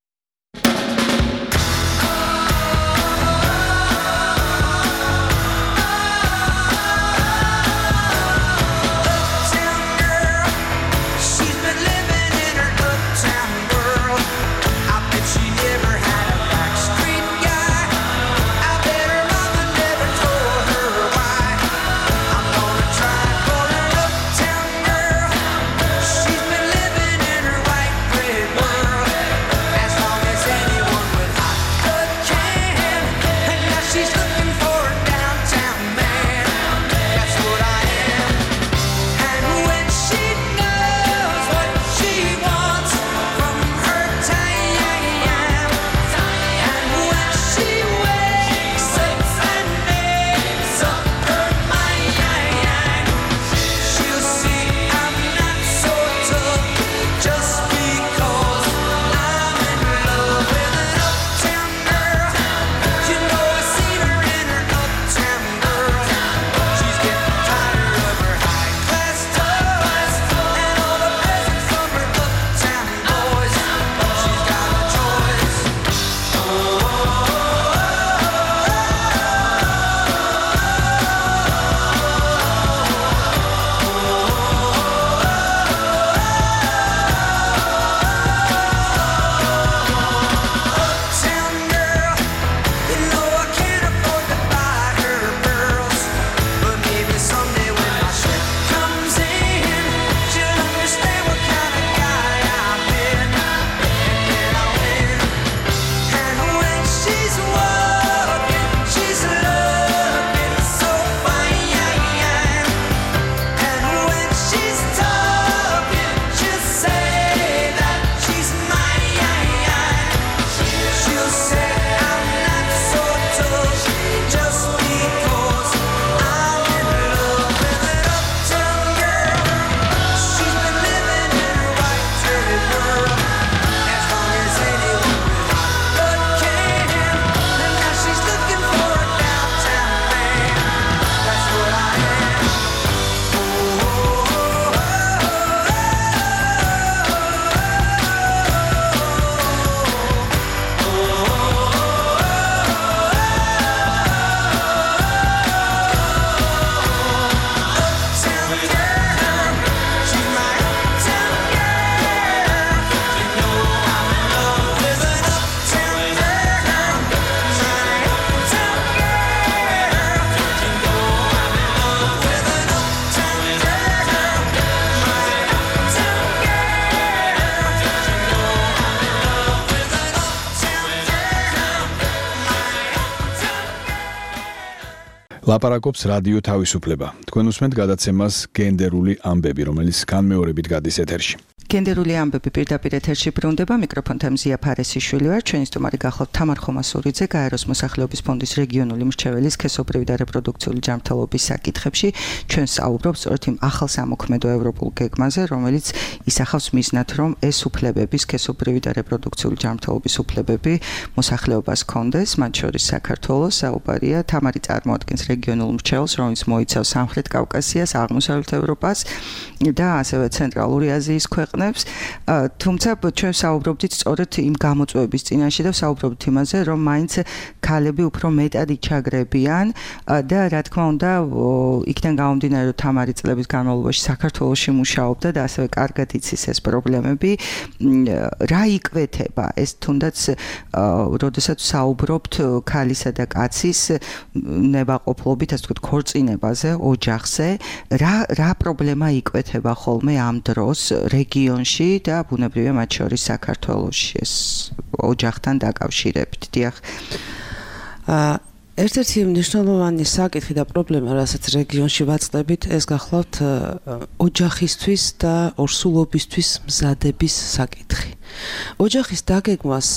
ლაპარაკობს რადიო თავისუფლება. თქვენ უსმენთ გადაცემას გენდერული ამბები, რომელიც განმეორებით გადის ეთერში. გენდერული ამბები პირდაპირ ეთერში ბრუნდება, მიკროფონთან მზია ფარესიშვილი ვარ, ჩვენი სტუმარი გახლავთ თამარ ხომასურიძე, გაეროს მოსახლეობის ფონდის რეგიონული მრჩეველი სქესობრივი და რეპროდუქციული ჯანმრთელობის საკითხებში. ჩვენ საუბრობთ სწორედ იმ ახალ სამოქმედო ევროპულ გეგმაზე, რომელიც ისახავს მიზნად, რომ ეს უფლებები, სქესობრივი და რეპროდუქციული ჯანმრთელობის უფლებები მოსახლეობას ჰქონდეს, მათ შორის საქართველოს. საუბარია თამარი წარმოადგენს რეგიონულ მრჩეველს, რომელიც მოიცავს სამხრეთ კავკასიას, აღმოსავლეთ ევროპას და ასევე ცენტრალური აზიის ქვეყნებს. თუმცა ჩვენ საუბრობდით სწორედ იმ გამოწვევების წინაშე და საუბრობთ იმაზე, რომ მაინც ქალები უფრო მეტად იჩაგრებიან და რა თქმა უნდა, იქიდან გამომდინარე, რომ თამარი წლების განმავლობაში საქართველოში მუშაობდა და ასევე კარგად იცის ეს პრობლემები, რა იკვეთება ეს თუნდაც როდესაც საუბრობთ ქალისა და კაცის ნებაყოფლობით, ასე ვთქვათ, ქორწინებაზე, ოჯახზე, რა რა პრობლემა იკვეთება ხოლმე ამ დროს რეგიონში და ბუნებრივია მათ შორის საქართველოში ეს ოჯახთან დაკავშირებით. დიახ. აა ერთ-ერთი მნიშვნელოვანი საკითხი და პრობლემა, რასაც რეგიონში ვაწყდებით, ეს გახლავთ ოჯახისთვის და ორსულობისთვის მზადების საკითხი. ოჯახის დაგეგმვას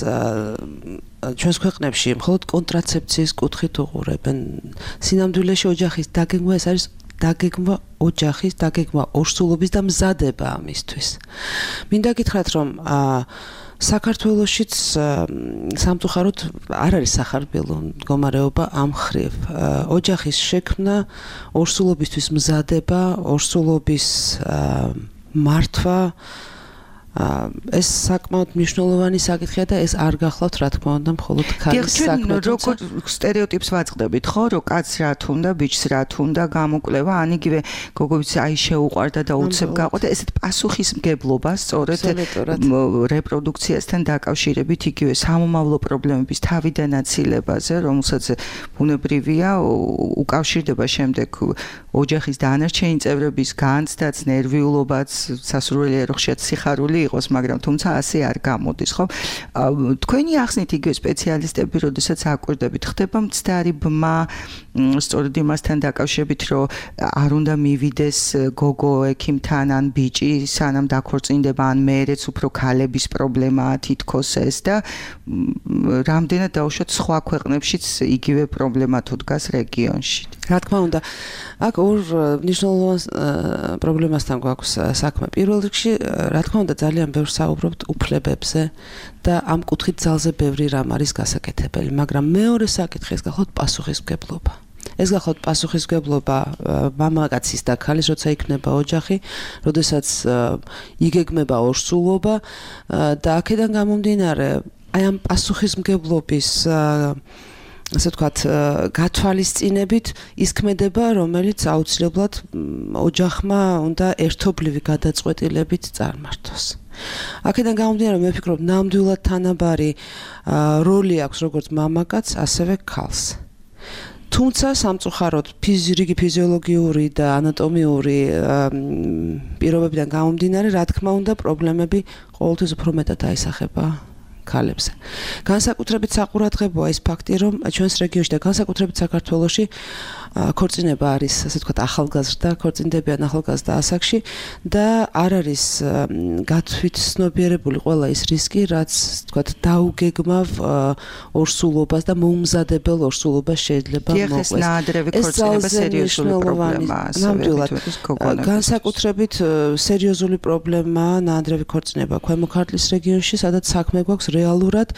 ჩვენს ქვეყნებში მხოლოდ კონტრაცეფციის კუთხით უყურებენ. სინამდვილეში ოჯახის დაგეგმვა ეს არის დაგეგმვა ოჯახის, დაგეგმვა ორსულობის და მზადება ამისთვის. მინდა გითხრათ, რომ საქართველოშიც სამწუხაროდ არ არის სახარბილო მდგომარეობა ამ ხრივ. ოჯახის შექმნა, ორსულობისთვის მზადება, ორსულობის მართვა ეს საკმაოდ მნიშვნელოვანი საკითხია და ეს არ გახლავთ რა თქმა უნდა მხოლოდ ქალის საქმე. როგორ სტერეოტიპს ვაწყდებით, ხო, რომ კაცს რა თუნდა, ბიჭს რა თუნდა, გამოკვლევა, ან იგივე გოგოიც აი შეუყვარდა და უცებ გაყვდა, ესეთ პასუხისმგებლობას სწორედ რეპროდუქციასთან დაკავშირებით იგივე სამომავლო პრობლემების თავიდან აცილებაზე, რომელსაც ბუნებრივია უკავშირდება შემდეგ ოჯახის დანარჩენი წევრების განცდაც, ნერვიულობაც, სასურველია რომ ხშირად სიხარული იყოს, მაგრამ თუმცა ასე არ გამოდის, ხო? თქვენი ახსნით იგივე სპეციალისტები, როდესაც აკვირდებით, ხდება მცდარი ბმა, სწორედ იმასთან დაკავშირებით, რომ არ უნდა მივიდეს გოგო ექიმთან ან ბიჭი, სანამ დაქორწინდება, ან მეერეც უფრო ქალების პრობლემაა თითქოს ეს და რამდენად დაუშვათ სხვა ქვეყნებშიც იგივე პრობლემა თუ დგას რეგიონში. რა თქმა უნდა, აქ ორ მნიშვნელოვან პრობლემასთან გვაქვს საქმე. პირველ რიგში, რა თქმა უნდა, ძალიან ბევრ საუბრობთ უფლებებზე და ამ კუთხით ძალზე ბევრი რამ არის გასაკეთებელი, მაგრამ მეორე საკითხი ეს გახლავთ პასუხისმგებლობა. ეს გახლავთ პასუხისმგებლობა მამაკაცის და ქალის, როცა იქნება ოჯახი, როდესაც იგეგმება ორსულობა და აქედან გამომდინარე, აი ამ პასუხისმგებლობის ასე ვთქვათ, გათვალისწინებით ის ქმედება, რომელიც აუცილებლად ოჯახმა უნდა ერთობლივი გადაწყვეტილებით წარმართოს. აქედან გამომდინარე, მე ვფიქრობ, ნამდვილად თანაბარი როლი აქვს როგორც მამაკაცს, ასევე ქალს. თუმცა სამწუხაროდ ფიზიოლოგი, ფიზიოლოგიური და ანატომიური პირობებიდან გამომდინარე, რა თქმა უნდა, პრობლემები ყოველთვის უფრო მეტად აისახება ქალებზე. განსაკუთრებით საყურადღებოა ის ფაქტი, რომ ჩვენს რეგიონში და განსაკუთრებით საქართველოში ქორწინება არის, ასე ვთქვათ, ახალგაზრდა, ქორწინდებიან ახალგაზრდა ასაკში და არ არის გათვითცნობიერებული ყველა ის რისკი, რაც, ვთქვათ, დაუგეგმავ ორსულობას და მოუმზადებელ ორსულობას შეიძლება მოყვეს. ეს ნაადრევი ქორწინება სერიოზული პრობლემაა, ნამდვილად. განსაკუთრებით სერიოზული პრობლემაა ნაადრევი ქორწინება ქვემო ქართლის რეგიონში, სადაც საქმე გვაქვს რეალურად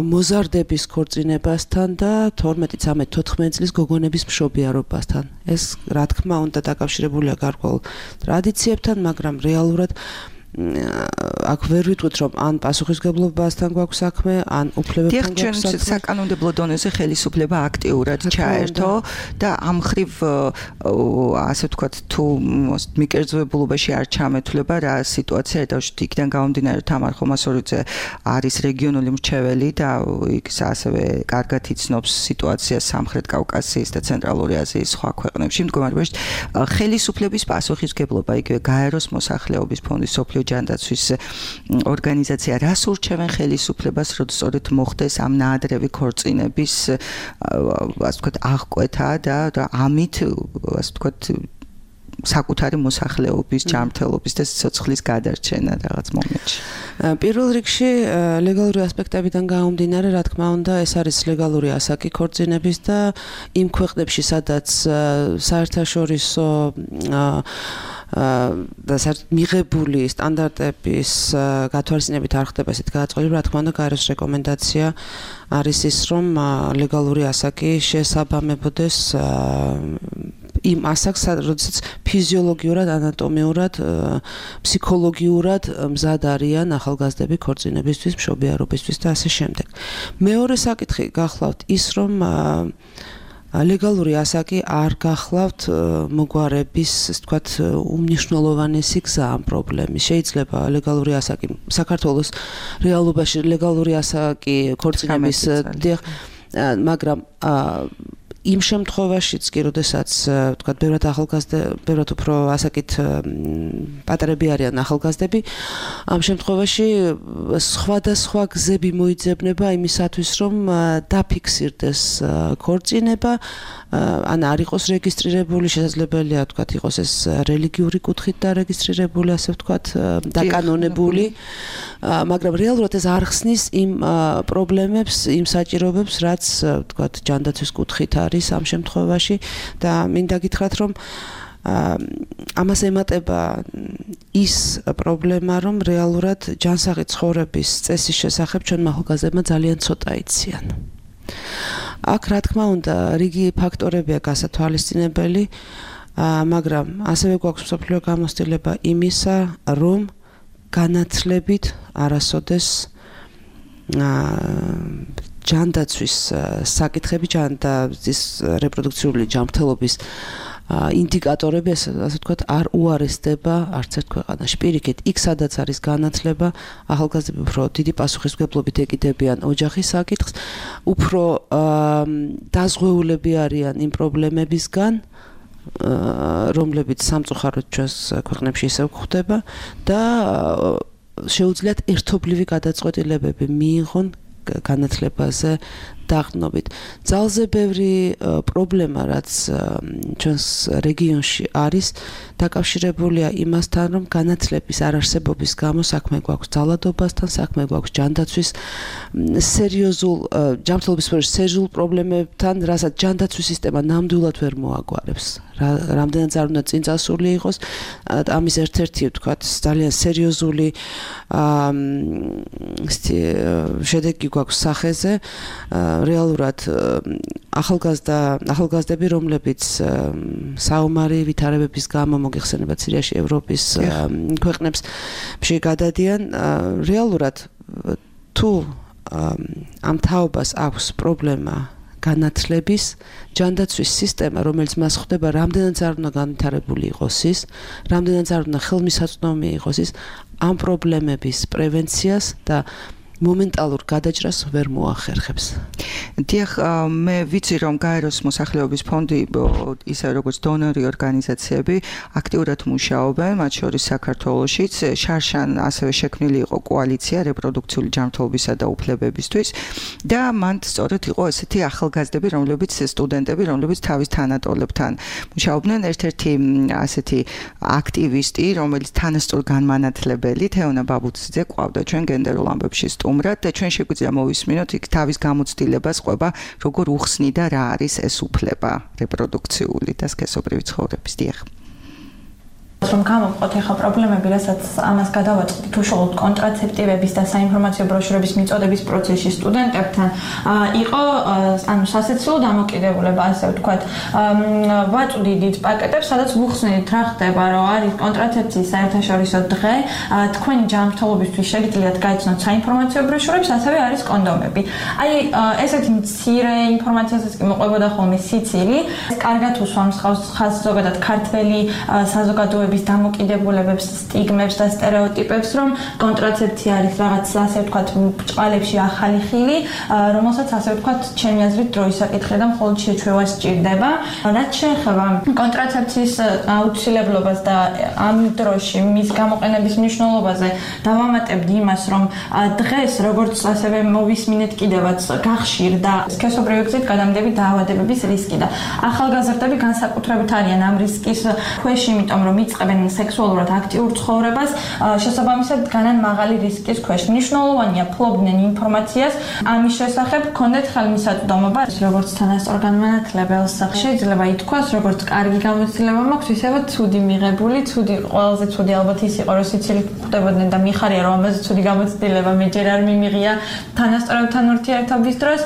მოზარდების ქორწინებასთან და თორმეტი, ცამეტი, თოთხმეტი წლის გოგონების მშობიარობასთან. ეს რა თქმა უნდა დაკავშირებულია გარკვეულ ტრადიციებთან, მაგრამ რეალურად აქ ვერ ვიტყვით, რომ ან პასუხისმგებლობასთან გვაქვს საქმე, ან უფლებებთან გვაქვს საქმე. ჩვენ საკანონმდებლო დონეზე ხელისუფლება აქტიურად ჩაერთო და ამ ხრივ ასე ვთქვათ, თუ მიკერძოებულობაში არ ჩამეთვლება რა სიტუაცია დავშვით, იქიდან გამომდინარე, თამარ ხომასურიძე არის რეგიონული მრჩეველი და იქ ასევე კარგად იცნობს სიტუაციას სამხრეთ კავკასიის და ცენტრალური აზიის სხვა ქვეყნებში. მდგომარეობაში ხელისუფლების პასუხისმგებლობა იგივე გაეროს მოსახლეობის ფონდის სოფლიო ჯანდაცვის ორგანიზაცია რას ურჩევენ ხელისუფლებას, რომ სწორედ მოხდეს ამ ნაადრევი ქორწინების ასე ვთქვათ აღკვეთა და ამით ასე ვთქვათ საკუთარი მოსახლეობის ჯანმრთელობის და სიცოცხლის გადარჩენა რაღაც მომენტში. პირველ რიგში ლეგალური ასპექტებიდან გამომდინარე, რა თქმა უნდა, ეს არის ლეგალური ასაკი ქორწინების და იმ ქვეყნებში, სადაც საერთაშორისო და მიღებული სტანდარტების გათვალისწინებით არ ხდება ესეთ გადაწყვეტილება, რა თქმა უნდა, გაეროს რეკომენდაცია არის ის, რომ ლეგალური ასაკი შესაბამებოდეს იმ ასაკს, როდესაც ფიზიოლოგიურად, ანატომიურად, ფსიქოლოგიურად მზად არიან ახალგაზრდები ქორწინებისთვის, მშობიარობისთვის და ასე შემდეგ. მეორე საკითხი გახლავთ ის, რომ ლეგალური ასაკი არ გახლავთ მოგვარების, ასე ვთქვათ, უმნიშვნელოვანესი გზა ამ პრობლემის. შეიძლება ლეგალური ასაკი საქართველოს რეალობაში ლეგალური ასაკი ქორწინების, მაგრამ იმ შემთხვევაშიც კი, როდესაც ვთქვათ, ბევრად ახალგაზრდა, ბევრად უფრო ასაკით პატარები არიან ახალგაზრდები, ამ შემთხვევაში სხვადასხვა გზები მოიძებნება იმისათვის, რომ დაფიქსირდეს ქორწინება, ან არ იყოს რეგისტრირებული, შესაძლებელია ვთქვათ, იყოს ეს რელიგიური კუთხით დარეგისტრირებული, ასე ვთქვათ, დაკანონებული, მაგრამ რეალურად ეს არ ხსნის იმ პრობლემებს, იმ საჭიროებებს, რაც ვთქვათ, ჯანდაცვის კუთხით არის ამ შემთხვევაში და მინდა გითხრათ, რომ ამას ემატება ის პრობლემა, რომ რეალურად ჯანსაღი ცხოვრების წესის შესახებ ჩვენმა ახალგაზრდებმა ძალიან ცოტა იციან. აქ რა თქმა უნდა, რიგი ფაქტორებია გასათვალისწინებელი, მაგრამ ასევე გვაქვს მსოფლიო გამოცდილება იმისა, რომ განათლებით არასოდეს ჯანდაცვის საკითხები, ჯანდაცვის რეპროდუქციული ჯანმრთელობის ინდიკატორები, ასე ვთქვათ, არ უარესდება არც ერთ ქვეყანაში. პირიქით, იქ სადაც არის განათლება, ახალგაზრდები უფრო დიდი პასუხისმგებლობით ეკიდებიან ოჯახის საკითხს, უფრო დაზღვეულები არიან იმ პრობლემებისგან, რომლებიც სამწუხაროდ ჩვენს ქვეყნებში ისევ გვხვდება და შეუძლიათ ერთობლივი გადაწყვეტილებები მიიღონ განათლებაზე დაღდნობით. ძალზე ბევრი პრობლემა, რაც ჩვენს რეგიონში არის, დაკავშირებულია იმასთან, რომ განათლების არარსებობის გამო საქმე გვაქვს ძალადობასთან, საქმე გვაქვს ჯანდაცვის სერიოზულ ჯანმრთელობის სერიოზულ პრობლემებთან, რასაც ჯანდაცვის სისტემა ნამდვილად ვერ მოაგვარებს. რამდენად არ უნდა წინწასული იყოს, ამის ერთ-ერთი, ვთქვათ, ძალიან სერიოზული შედეგი გვაქვს სახეზე. რეალურად ახალგაზრდა ახალგაზრდები, რომლებიც საომარი ვითარებების გამო მოგეხსენება სირიაში ევროპის ქვეყნებს გადადიან, რეალურად თუ ამ თაობას აქვს პრობლემა განათლების, ჯანდაცვის სისტემა, რომელიც მას ხვდება, რამდენად არ უნდა განვითარებული იყოს ის, რამდენად არ უნდა ხელმისაწვდომი იყოს ის, ამ პრობლემების პრევენციას და მომენტალურ გადაჭრას ვერ მოახერხებს. დიახ, მე ვიცი, რომ გაეროს მოსახლეობის ფონდი, ისე როგორც დონორი ორგანიზაციები, აქტიურად მუშაობენ, მათ შორის საქართველოშიც. შარშან ასევე შექმნილი იყო კოალიცია რეპროდუქციული ჯანმრთელობისა და უფლებებისთვის და მან სწორედ იყო ესეთი ახალგაზრდები, რომლებიც სტუდენტები, რომლებიც თავის თანატოლებთან მუშაობდნენ. ერთ-ერთი ასეთი აქტივისტი, რომელიც თანასწორ განმანათლებელი, თეონა ბაბუციძე ყავდა ჩვენ გენდერულ ამბებში სტუმრად და ჩვენ შეგვიძლია მოვისმინოთ იქ თავის გამოცდილებას ყვება, როგორ უხსნი და რა არის ეს უფლება რეპროდუქციული და სქესობრივი ცხოვრების. დიახ. რომ გამოვყოთ ახლა პრობლემები, რასაც ამას გადავაწყდით უშუალოდ კონტრაცეპტივების და საინფორმაციო ბროშურების მიწოდების პროცესში სტუდენტებთან, იყო ანუ სასიცილო დამოკიდებულება, ასე ვთქვათ, ვაწვდით დიდ პაკეტებს, სადაც ვუხსნით რა ხდება, რომ არის კონტრაცეფციის საერთაშორისო დღე, თქვენი ჯანმრთელობისთვის შეგიძლიათ გაიცნოთ საინფორმაციო ბროშურებს, ასევე არის კონდომები. აი, ესეთი მცირე ინფორმაციასაც კი მოყვებოდა ხოლმე სიცილი. ეს კარგად უსვამს ხაზს ზოგადად ქართველი საზოგადოების ცხოვრების დამოკიდებულებებს, სტიგმებს და სტერეოტიპებს, რომ კონტრაცეფცია არის რაღაც ასე ვთქვათ ბჭყალებში ახალი ხილი, რომელსაც ასე ვთქვათ ჩემი აზრით დროის საკითხი და მხოლოდ შეჩვევა სჭირდება. რაც შეეხება კონტრაცეფციის აუცილებლობას და ამ დროში მის გამოყენების მნიშვნელობაზე დავამატებდი იმას, რომ დღეს როგორც ასევე მოვისმინეთ კიდევაც გახშირდა სქესობრივი გზით გადამდები დაავადებების რისკი და ახალგაზრდები განსაკუთრებით არიან ამ რისკის ქვეშ, იმიტომ რომ იწყებენ სექსუალურად აქტიურ ცხოვრებას, შესაბამისად განან მაღალი რისკის ქვეშ. მნიშვნელოვანია ფლობდნენ ინფორმაციას ამის შესახებ, ჰქონდეთ ხელმისაწვდომობა, როგორც თანასწორგანმანათლებელს შეიძლება ითქვას, როგორც კარგი გამოცდილება მაქვს, ისევე ცუდი მიღებული, ცუდი ყველაზე ცუდი ალბათ ის იყო, რომ სიცილით ხვდებოდნენ და მიხარია, რომ ამაზე ცუდი გამოცდილება მე ჯერ არ მიმიღია თანასწორებთან ურთიერთობის დროს.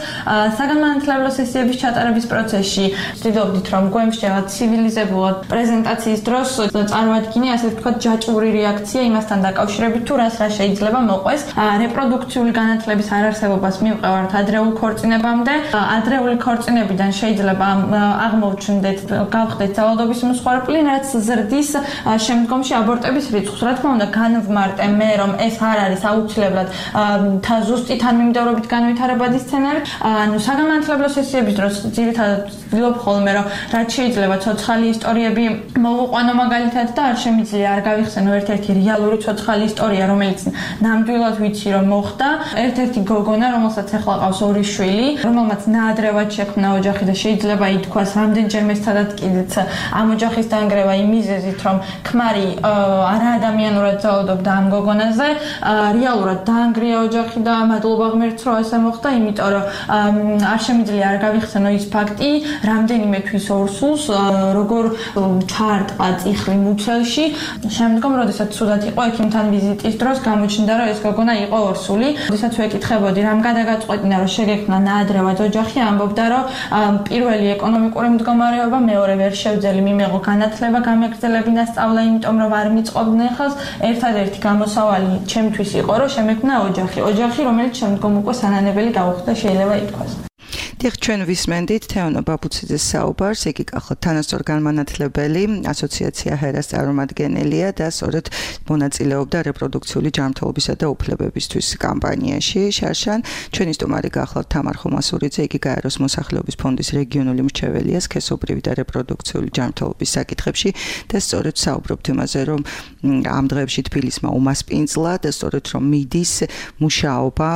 საგანმანათლებლო სესიების ჩატარების პროცესში ვცდილობდით, რომ გვემსჯელოთ ცივილიზებულად პრეზენტაციის დროს წარმოადგინე ასე ვთქვათ ჯაჭვური რეაქცია იმასთან დაკავშირებით, თუ რას რა შეიძლება მოყვეს. რეპროდუქციული განათლების არარსებობას მივყევართ ადრეულ ქორწინებამდე. ადრეული ქორწინებიდან შეიძლება აღმოჩნდეთ, გავხდეთ ძალადობის მსხვერპლი, რაც ზრდის შემდგომში აბორტების რიცხვს. რა თქმა უნდა, განვმარტე მე, რომ ეს არ არის აუცილებლად ზუსტი თანმიმდევრობით განვითარებადი სცენარი. ანუ საგანმანათლებლო სესიების დროს ძირითადად ვცდილობ ხოლმე, რომ რაც შეიძლება ცოცხალი ისტორიები მოვუყვანო მაგალითად და არ შემიძლია არ გავიხსენო ერთ-ერთი რეალური ცოცხალი ისტორია, რომელიც ნამდვილად ვიცი, რომ მოხდა. ერთ-ერთი გოგონა, რომელსაც ახლა ყავს ორი შვილი, რომელმაც ნაადრევად შექმნა ოჯახი და შეიძლება ითქვას, რამდენჯერმე სადაც კიდეც ამ ოჯახის დანგრევა იმ მიზეზით, რომ ქმარი არაადამიანურად ძალადობდა ამ გოგონაზე, რეალურად დაანგრია ოჯახი და მადლობა ღმერთს, რომ ასე მოხდა, იმიტომ რომ არ შემიძლია არ გავიხსენო ის ფაქტი, რამდენიმე თვის ორსულს როგორ ჩაარტყა წიხლი მუცელში. შემდგომ, როდესაც ცუდად იყო ექიმთან ვიზიტის დროს, გამოჩნდა, რომ ეს გოგონა იყო ორსული. როდესაც ვეკითხებოდი, რამ გადაგაწყვეტინა, რომ შეგექმნა ნაადრევად ოჯახი, ამბობდა, რომ პირველი ეკონომიკური მდგომარეობა, მეორე ვერ შევძელი მიმეღო განათლება, გამეგრძელებინა სწავლა, იმიტომ რომ არ მიწყობდნენ ხელს. ერთადერთი გამოსავალი ჩემთვის იყო, რომ შემექმნა ოჯახი. ოჯახი, რომელიც შემდგომ უკვე სანანებელი გაუხდა, შეიძლება ითქვას. დიახ, ჩვენ ვისმენდით თეონა ბაბუციძეს საუბარს, იგი კახოთ თანასწორგანმანათლებელი ასოციაცია ჰერას წარმომადგენელია და სწორედ მონაწილეობდა რეპროდუქციული ჯანმრთელობისა და უფლებებისთვის კამპანიაში. შარშან, ჩვენი სტუმარი გახლავთ თამარ ხომასურიძე, იგი გაეროს მოსახლეობის ფონდის რეგიონული მრჩეველია სქესობრივი და რეპროდუქციული ჯანმრთელობის საკითხებში და სწორედ საუბრობთ იმაზე, რომ ამ დღეებში თბილისმა უმასპინძლა და სწორედ რომ მიდის მუშაობა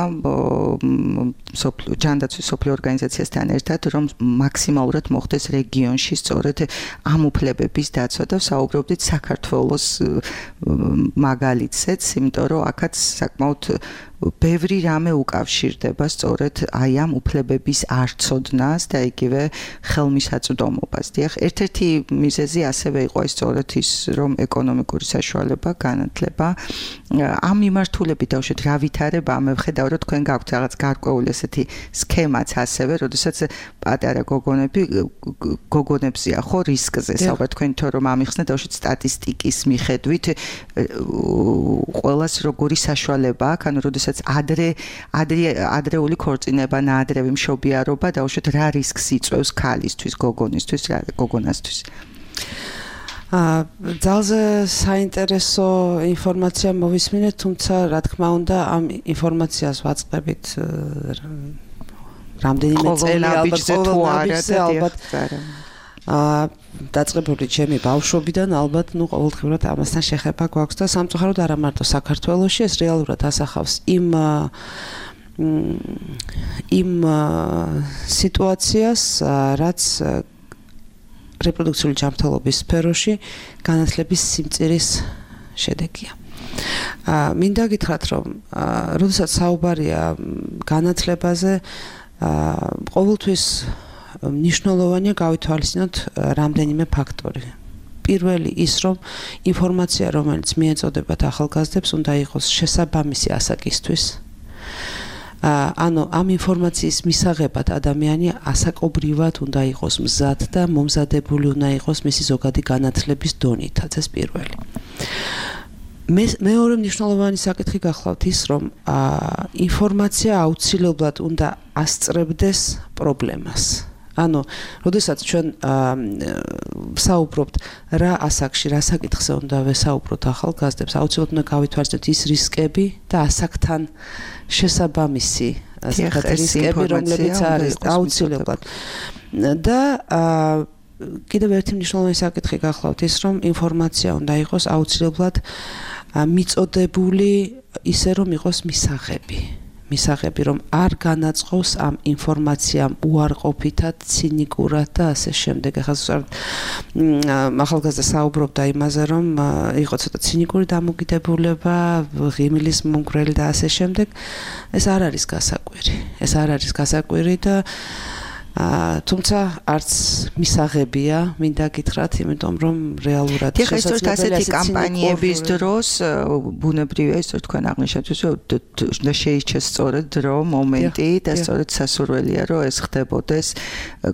ჯანდაცვის სოფლიო ორგანიზაციასთან ერთად, რომ მაქსიმალურად მოხდეს რეგიონში სწორედ ამ უფლებების დაცვა და საუბრობდით საქართველოს მაგალითზეც, იმიტომ რომ აქაც საკმაოდ ბევრი რამე უკავშირდება სწორედ აი ამ უფლებების არცოდნას და იგივე ხელმისაწვდომობას. დიახ, ერთ-ერთი მიზეზი ასევე იყო ის სწორედ ის, რომ ეკონომიკური საშუალება, განათლება, ამ მიმართულებით დავუშვით რა ვითარება, მე ვხედავ, რომ თქვენ გაქვთ რაღაც გარკვეული ესეთი სქემაც ასევე, როდესაც პატარა გოგონები გოგონებზია ხო რისკზე საუბარ თქვენ თორე რომ ამიხსნეთ დავუშვით სტატისტიკის მიხედვით ყველას როგორი საშუალება აქვს, ანუ როდესაც ადრე ადრე ადრეული ქორწინება, ნაადრევი მშობიარობა დავუშვით რა რისკს იწვევს ქალისთვის, გოგონისთვის, რა გოგონასთვის. ძალზე საინტერესო ინფორმაცია მოვისმინეთ, თუმცა რა თქმა უნდა ამ ინფორმაციას ვაწყდებით რამდენიმე წელი ალბათ აა დაწყებული ჩემი ბავშვობიდან ალბათ ნუ ყოველდღიურად ამასთან შეხება გვაქვს და სამწუხაროდ არა მარტო საქართველოში, ეს რეალურად ასახავს იმ იმ სიტუაციას, რაც რეპროდუქციული ჯანმრთელობის სფეროში განათლების სიმწირის შედეგია. აა მინდა გითხრათ, რომ როდესაც საუბარია განათლებაზე, აა ყოველთვის მნიშვნელოვანია გავითვალისწინოთ რამდენიმე ფაქტორი. პირველი ის, რომ ინფორმაცია, რომელიც მიეწოდებათ ახალგაზრდებს, უნდა იყოს შესაბამისი ასაკისთვის. ანუ ამ ინფორმაციის მისაღებად ადამიანი ასაკობრივად უნდა იყოს მზად და მომზადებული უნდა იყოს მისი ზოგადი განათლების დონითაც, ეს პირველი. მეორე მნიშვნელოვანი საკითხი გახლავთ ის, რომ ინფორმაცია აუცილებლად უნდა ასწრებდეს პრობლემას. ანუ, როდესაც ჩვენ საუბრობთ რა ასაკში, რა საკითხზე უნდა ვესაუბროთ ახალგაზრდებს, აუცილებლად უნდა გავითვალისწინოთ ის რისკები და ასაკთან შესაბამისი რისკები, რომლებიც არის აუცილებლად. და კიდევ ერთი მნიშვნელოვანი საკითხი გახლავთ ის, რომ ინფორმაცია უნდა იყოს აუცილებლად მიწოდებული ისე, რომ იყოს მისაღები. მისაღები, რომ არ განაწყობს ამ ინფორმაციამ უარყოფითად, ცინიკურად და ასე შემდეგ. ახლა ახალგაზრდა საუბრობდა იმაზე, რომ იყო ცოტა ცინიკური დამოკიდებულება, ღიმილის მომგვრელი და ასე შემდეგ. ეს არ არის გასაკვირი. ეს არ არის გასაკვირი და თუმცა არც მისაღებია, მინდა გითხრათ, იმიტომ რომ რეალურად შესაძლებელია ასეთი კამპანიების დროს ბუნებრივია ის, რომ თქვენ აღნიშნეთ, რომ შეიჩეს სწორედ დრო, მომენტი და სწორედ სასურველია, რომ ეს ხდებოდეს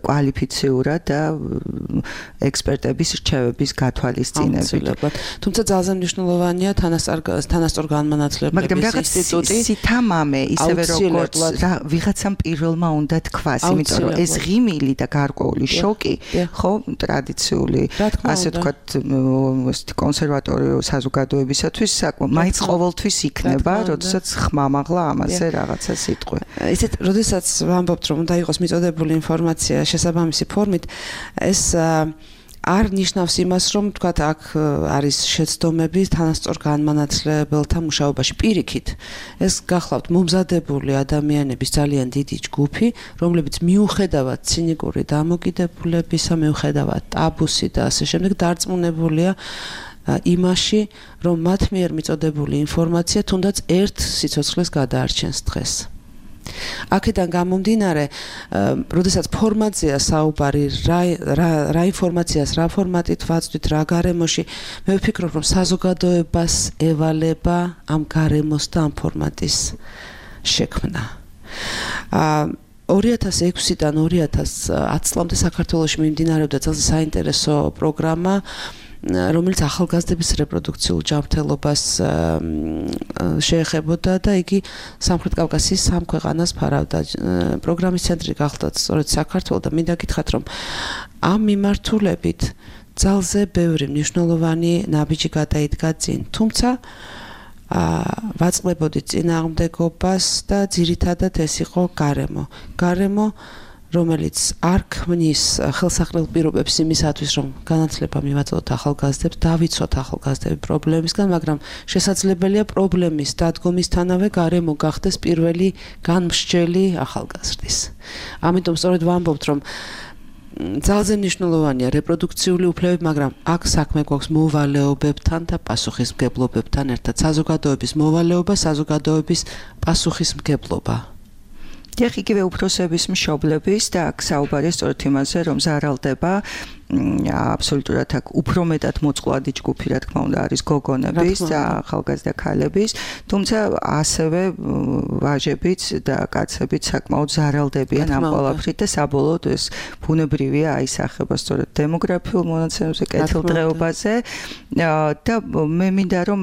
კვალიფიციურად და ექსპერტების რჩევების გათვალისწინებით. თუმცა ძალზე მნიშვნელოვანია თანასწორ განმანათლებლების ინსტიტუტი. მაგრამ სითამამე, ისევე როგორც ვიღაცამ პირველმა უნდა თქვას, იმიტომ რომ ეს ღიმილი და გარკვეული შოკი, ხო, ტრადიციული, ასე ვთქვათ, კონსერვატორიული საზოგადოებისათვის მაინც ყოველთვის იქნება, როდესაც ხმამაღლა ამაზე რაღაცა სიტყვი. ისეთ, როდესაც ვამბობთ, რომ უნდა იყოს მიწოდებული ინფორმაცია შესაბამისი ფორმით, ეს არ ნიშნავს იმას, რომ თქვათ აქ არის შეცდომები თანასწორ განმანათლებელთა მუშაობაში. პირიქით, ეს გახლავთ მომზადებული ადამიანების ძალიან დიდი ჯგუფი, რომლებიც მიუხედავად ცინიკური დამოკიდებულებისა, მიუხედავად ტაბუსი და ასე შემდეგ დარწმუნებულია იმაში, რომ მათ მიერ მიწოდებული ინფორმაცია თუნდაც ერთ სიცოცხლეს გადაარჩენს დღეს. აქედან გამომდინარე, როდესაც ფორმატზეა საუბარი, რა ინფორმაციას, რა ფორმატით ვაწვდით, რა გარემოში, მე ვფიქრობ, რომ საზოგადოებას ევალება ამ გარემოს და ამ ფორმატის შექმნა. ორი ათას ექვსიდან ორი ათას ათი წლამდე საქართველოში მიმდინარეობდა ძალზე საინტერესო პროგრამა, რომელიც ახალგაზრდების რეპროდუქციულ ჯანმრთელობას შეეხებოდა და იგი სამხრეთ კავკასიის სამ ქვეყანას ფარავდა. პროგრამის ცენტრი გახლდათ სწორედ საქართველო და მინდა გითხრათ, რომ ამ მიმართულებით ძალზე ბევრი მნიშვნელოვანი ნაბიჯი გადაიდგა წინ. თუმცა ვაწყდებოდით წინააღმდეგობას და ძირითადად ეს იყო გარემო. გარემო რომელიც არ ქმნის ხელსაყრელ პირობებს იმისათვის, რომ განათლება მივაწოდოთ ახალგაზრდებს, დავიცვათ ახალგაზრდები პრობლემისგან, მაგრამ შესაძლებელია პრობლემის დადგომისთანავე გარემო გახდეს პირველი განმსჯელი ახალგაზრდის. ამიტომ სწორედ ვამბობთ, რომ ძალზე მნიშვნელოვანია რეპროდუქციული უფლებები, მაგრამ აქ საქმე გვაქვს მოვალეობებთან და პასუხისმგებლობებთან ერთად. საზოგადოების მოვალეობა, საზოგადოების პასუხისმგებლობა. დიახ, იგივე უფროსების მშობლების და აქ საუბარია სწორედ იმაზე, რომ ზარალდება აბსოლუტურად აქ უფრო მეტად მოწყვლადი ჯგუფი, რა თქმა უნდა, არის გოგონების და ახალგაზრდა ქალების, თუმცა ასევე ვაჟებიც და კაცებიც საკმაოდ ზარალდებიან ამ ყველაფრით და საბოლოოდ ეს ბუნებრივია აისახება სწორედ დემოგრაფიულ მონაცემებზე, კეთილდღეობაზე და მე მინდა რომ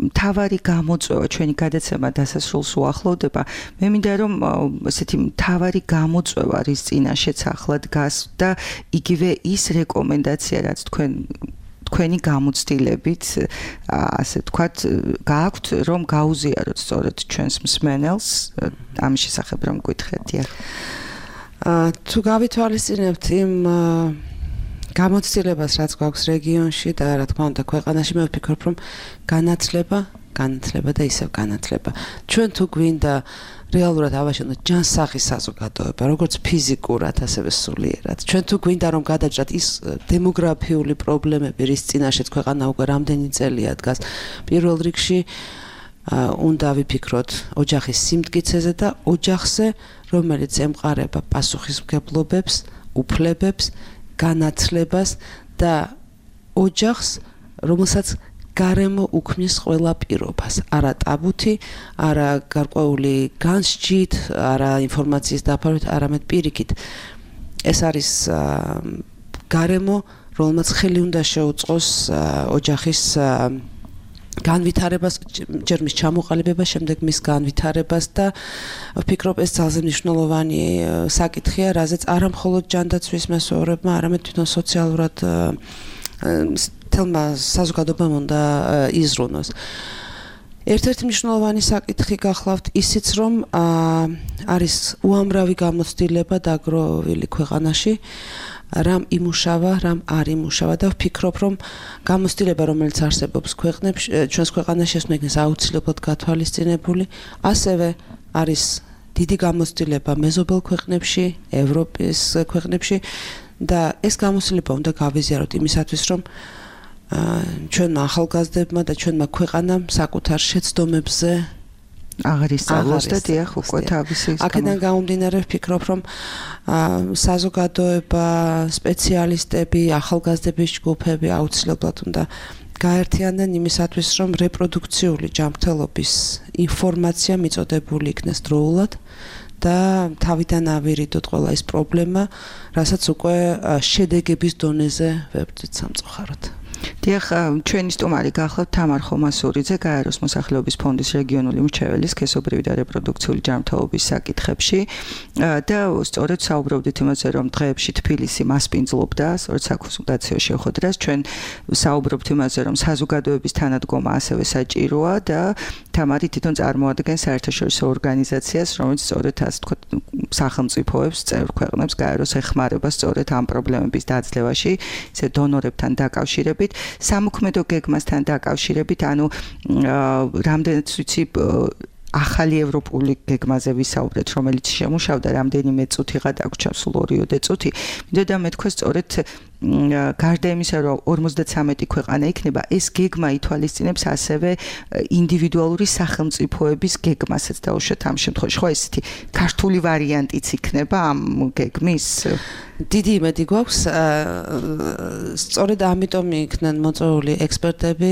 მთავარი გამოწვევა ჩვენი გადაცემა დასასრულს უახლოვდება. მე მინდა რომ ესეთი მთავარი გამოწვევა რის წინაშეც ახლა დგას და იგივე ის რეკომენდაცია, რაც თქვენ თქვენი გამოცდილებით, ასე ვთქვათ, გააქვთ, რომ გაუზიაროთ სწორედ ჩვენს მსმენელს ამის შესახებ რომ გითხრათ. თუ გავითვალისწინებთ იმ გამოცდილებას, რაც გვაქვს რეგიონში და რა თქმა უნდა ქვეყანაში, მე ვფიქრობ, რომ განათლება, განათლება და ისევ განათლება. ჩვენ თუ გვინდა რეალურად ავაშენოთ ჯანსაღი საზოგადოება, როგორც ფიზიკურად, ასევე სულიერად. ჩვენ თუ გვინდა რომ გადაჭრათ ის დემოგრაფიული პრობლემები, რის წინაშეც ქვეყანა უკვე რამდენი წელია დგას, პირველ რიგში უნდა ვიფიქროთ ოჯახის სიმტკიცეზე და ოჯახზე, რომელიც ემყარება პასუხისმგებლობებს, უფლებებს, განათლებას და ოჯახს, რომელსაც გარემო უქმნის ყველა პირობას, არა ტაბუთი, არა გარკვეული განსჯით, არა ინფორმაციის დაფარვით, არამედ პირიქით. ეს არის გარემო, რომელმაც ხელი უნდა შეუწყოს ოჯახის განვითარებას, ჯერ მის ჩამოყალიბებას, შემდეგ მის განვითარებას და ვფიქრობ ეს ძალზე მნიშვნელოვანი საკითხია, რაზეც არა მხოლოდ ჯანდაცვის მასწავლებლებმა, არამედ თვითონ სოციალურად თელმა საზოგადოებამ უნდა იზრუნოს. ერთ-ერთი მნიშვნელოვანი საკითხი გახლავთ ისიც, რომ არის უამრავი გამოცდილება დაგროვილი ქვეყანაში, რამ იმუშავა, რამ არ იმუშავა და ვფიქრობ, რომ გამოცდილება, რომელიც არსებობს ქვეყნებში, ჩვენს ქვეყანაში, ეს უნდა იქნეს აუცილებლად გათვალისწინებული, ასევე არის დიდი გამოცდილება მეზობელ ქვეყნებში, ევროპის ქვეყნებში და ეს გამოცდილება უნდა გავიზიაროთ იმისათვის, რომ ჩვენმა ახალგაზრდებმა და ჩვენმა ქვეყანამ საკუთარ შეცდომებზე აღარ ისწავლოს და დიახ უკვე თავისი აქედან გამომდინარე ვფიქრობ, რომ საზოგადოება, სპეციალისტები, ახალგაზრდების ჯგუფები აუცილებლად უნდა გაერთიანდნენ იმისათვის, რომ რეპროდუქციული ჯანმრთელობის ინფორმაცია მიწოდებული იქნეს დროულად და თავიდან ავირიდოთ ყველა ეს პრობლემა, რასაც უკვე შედეგების დონეზე ვებრძვით სამწუხაროდ. დიახ, ჩვენი სტუმარი გახლავთ თამარ ხომასურიძე, გაეროს მოსახლეობის ფონდის რეგიონული მრჩეველი სქესობრივი და რეპროდუქციული ჯანმრთელობის საკითხებში და სწორედ საუბრობდით იმაზე, რომ დღეებში თბილისი მასპინძლობდა სწორედ საკონსულტაციო შეხვედრას. ჩვენ საუბრობთ იმაზე, რომ საზოგადოების თანადგომა ასევე საჭიროა და თამარი თვითონ წარმოადგენს საერთაშორისო ორგანიზაციას, რომელიც სწორედ ასე ვთქვათ, სახელმწიფოებს, წევრ ქვეყნებს გაეროს ეხმარება სწორედ ამ პრობლემების დაძლევაში, ისე დონორებთან დაკავშირებით. სამოქმედო გეგმასთან დაკავშირებით, ანუ რამდენიც ვიცი ახალი ევროპული გეგმაზე ვისაუბრეთ, რომელიც შემუშავდა რამდენიმე წუთი გადაგვრჩა სულ ორიოდე წუთი. მინდოდა მეთქვა სწორედ გარდა იმისა, რომ ორმოცდათვრამეტი ქვეყანა იქნება, ეს გეგმა ითვალისწინებს ასევე ინდივიდუალური სახელმწიფოების გეგმასაც და უშუალოდ ამ შემთხვევაში ხო ესეთი ქართული ვარიანტიც იქნება ამ გეგმის? დიდი იმედი გვაქვს, სწორედ ამიტომ იქნენ მოწვეული ექსპერტები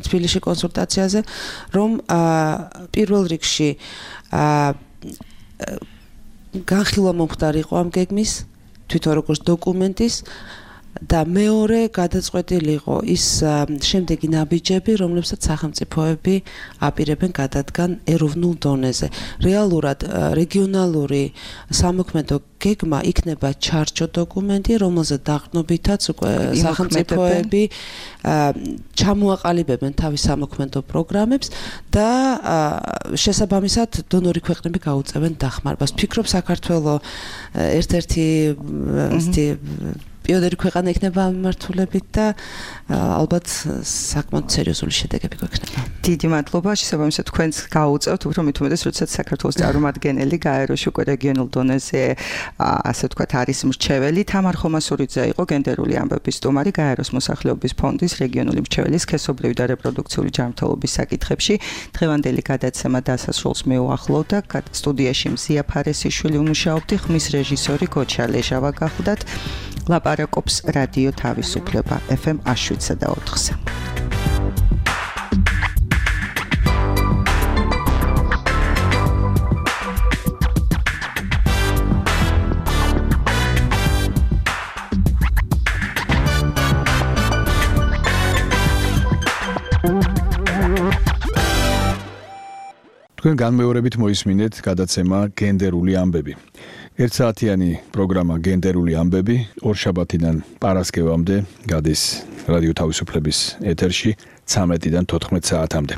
თბილისში კონსულტაციაზე, რომ პირველ რიგში განხილვა მომხდარიყო ამ გეგმის, თვითონ როგორც დოკუმენტის და მეორე გადაწყვეტილი იყო ის შემდეგი ნაბიჯები, რომლებსაც სახელმწიფოები აპირებენ გადადგან ეროვნულ დონეზე. რეალურად რეგიონალური სამოქმედო გეგმა იქნება ჩარჩო დოკუმენტი, რომელზეც დაყრდნობითაც უკვე სახელმწიფოები ჩამოაყალიბებენ თავის სამოქმედო პროგრამებს და შესაბამისად დონორი ქვეყნები გაუწევენ დახმარებას. ვფიქრობ, საქართველოს ერთ-ერთი ესეთი პიონერი ქვეყანა იქნება ამ მიმართულებით და ალბათ საკმაოდ სერიოზული შედეგები გვექნება. დიდი მადლობა, შესაბამისად თქვენს გაუწევთ, უფრო მით უმეტეს, როდესაც საქართველოს წარმომადგენელი გაეროში უკვე რეგიონულ დონეზე ასე ვთქვათ არის მრჩეველი. თამარ ხომასურიძე იყო გენდერული ამბების სტუმარი, გაეროს მოსახლეობის ფონდის რეგიონული მრჩეველი სქესობრივი და რეპროდუქციული ჯანმრთელობის საკითხებში. დღევანდელი გადაცემა დასასრულს მეუახლოვდა. სტუდიაში მზია ფარესიშვილი უმუშაობდი, ხმის რეჟისორი გოჩა ლეჟავა გახლდათ. ლაპარაკობს რადიო თავისუფლება ეფ ემ შვიდსა და ოთხზე. თქვენ განმეორებით მოისმინეთ გადაცემა გენდერული ამბები. ერთსაათიანი პროგრამა გენდერული ამბები ორშაბათიდან პარასკევამდე გადის რადიო თავისუფლების ეთერში ცამეტიდან თოთხმეტ საათამდე.